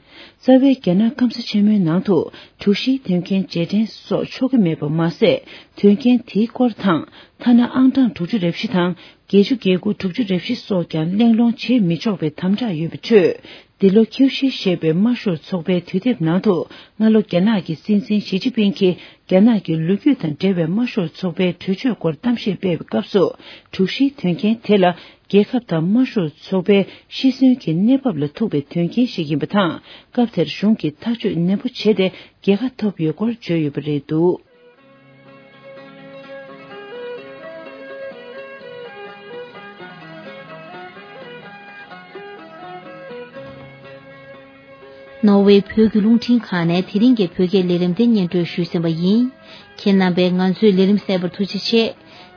རྩ་བའི་རྒྱ་ནག་སྐམ་ས་ཆེན་མོའི་ནང་དུ་དྲུག་བཞིའི་དོན་རྐྱེན་རྗེས་དྲན་སོགས་ཆོག་གི་མེད་པ་མ་ཟད། དོན་རྐྱེན་དེའི་སྐོར་དང་། ཐ་ན་ཨང་གྲངས་དྲུག་ཅུ་རེ་བཞི་དང་། བརྒྱད་ཅུ་གྱ་དགུ། དྲུག་ཅུ་རེ་བཞི་སོགས་ཀྱང་གླེང་སློང་བྱེད་མི་ཆོག་པའི་དམ་དྲག་ཡོད་པའི་ཁྲོད། འདི་ལོ་ཁྱེའུ་ཤི་ཞེས་པའི་དམར་ཤོག་ཚོགས་པའི་དུས་དེབ་ནང་དུ། སྔ་ལོ་རྒྱ་ནག་གི་སྲིད་འཛིན་ཞི་ཅིན་ཕིང་གིས་རྒྱ་ནག་གི་ལོ་རྒྱུས་དང་འབྲེལ་བའི་དམར་ཤོག་ཚོགས་པའི་གྲོས་ཆོད་སྐོར་གཏམ་བཤད་སྤེལ་བའི་སྐབས་སུ། དྲུག་བཞིའི་དོན་རྐྱེན་དེ་ལ། རྒྱལ་ཁབ་དང་དམར་ཤོག་ཚོགས་པའི་ཤི་གསོན་གྱི་གནས་བབ་ལ་ཐུག་པའི་དོན་རྐྱེན་ཞིག་ཡིན་པ་དང་། སྐབས་དེར་གཞུང་གིས་ཐག་གཅོད་ནན་པོ་བྱས་ཏེ། རྒྱལ་ཁ་ཐོབ་ཡོད་སྐོར་བརྗོད་ཡོད་པ་རེད་འདུག་ནོར་ཝེ་བོད་ཀྱི་རླུང་འཕྲིན་ཁང་ནས་དེ་རིང་གི་བོད་སྐད་ལས་རིམ་དེ་སྙན་སྒྲོན་ཞུས་ཟིན་པ་ཡིན། ཁྱེད་རྣམ་པས་ང་ཚོའི་ལས་རིམ་གསན་པར་ཐུགས་རྗེ་ཆེ།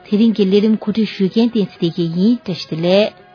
དེ་རིང་གི་ལས་རིམ་གོ་སྒྲིག་ཞུ་མཁན་བསྟན་འཛིན་བདེ་སྐྱིད་ཡིན། བཀྲ་ཤིས་བདེ་ལེགས།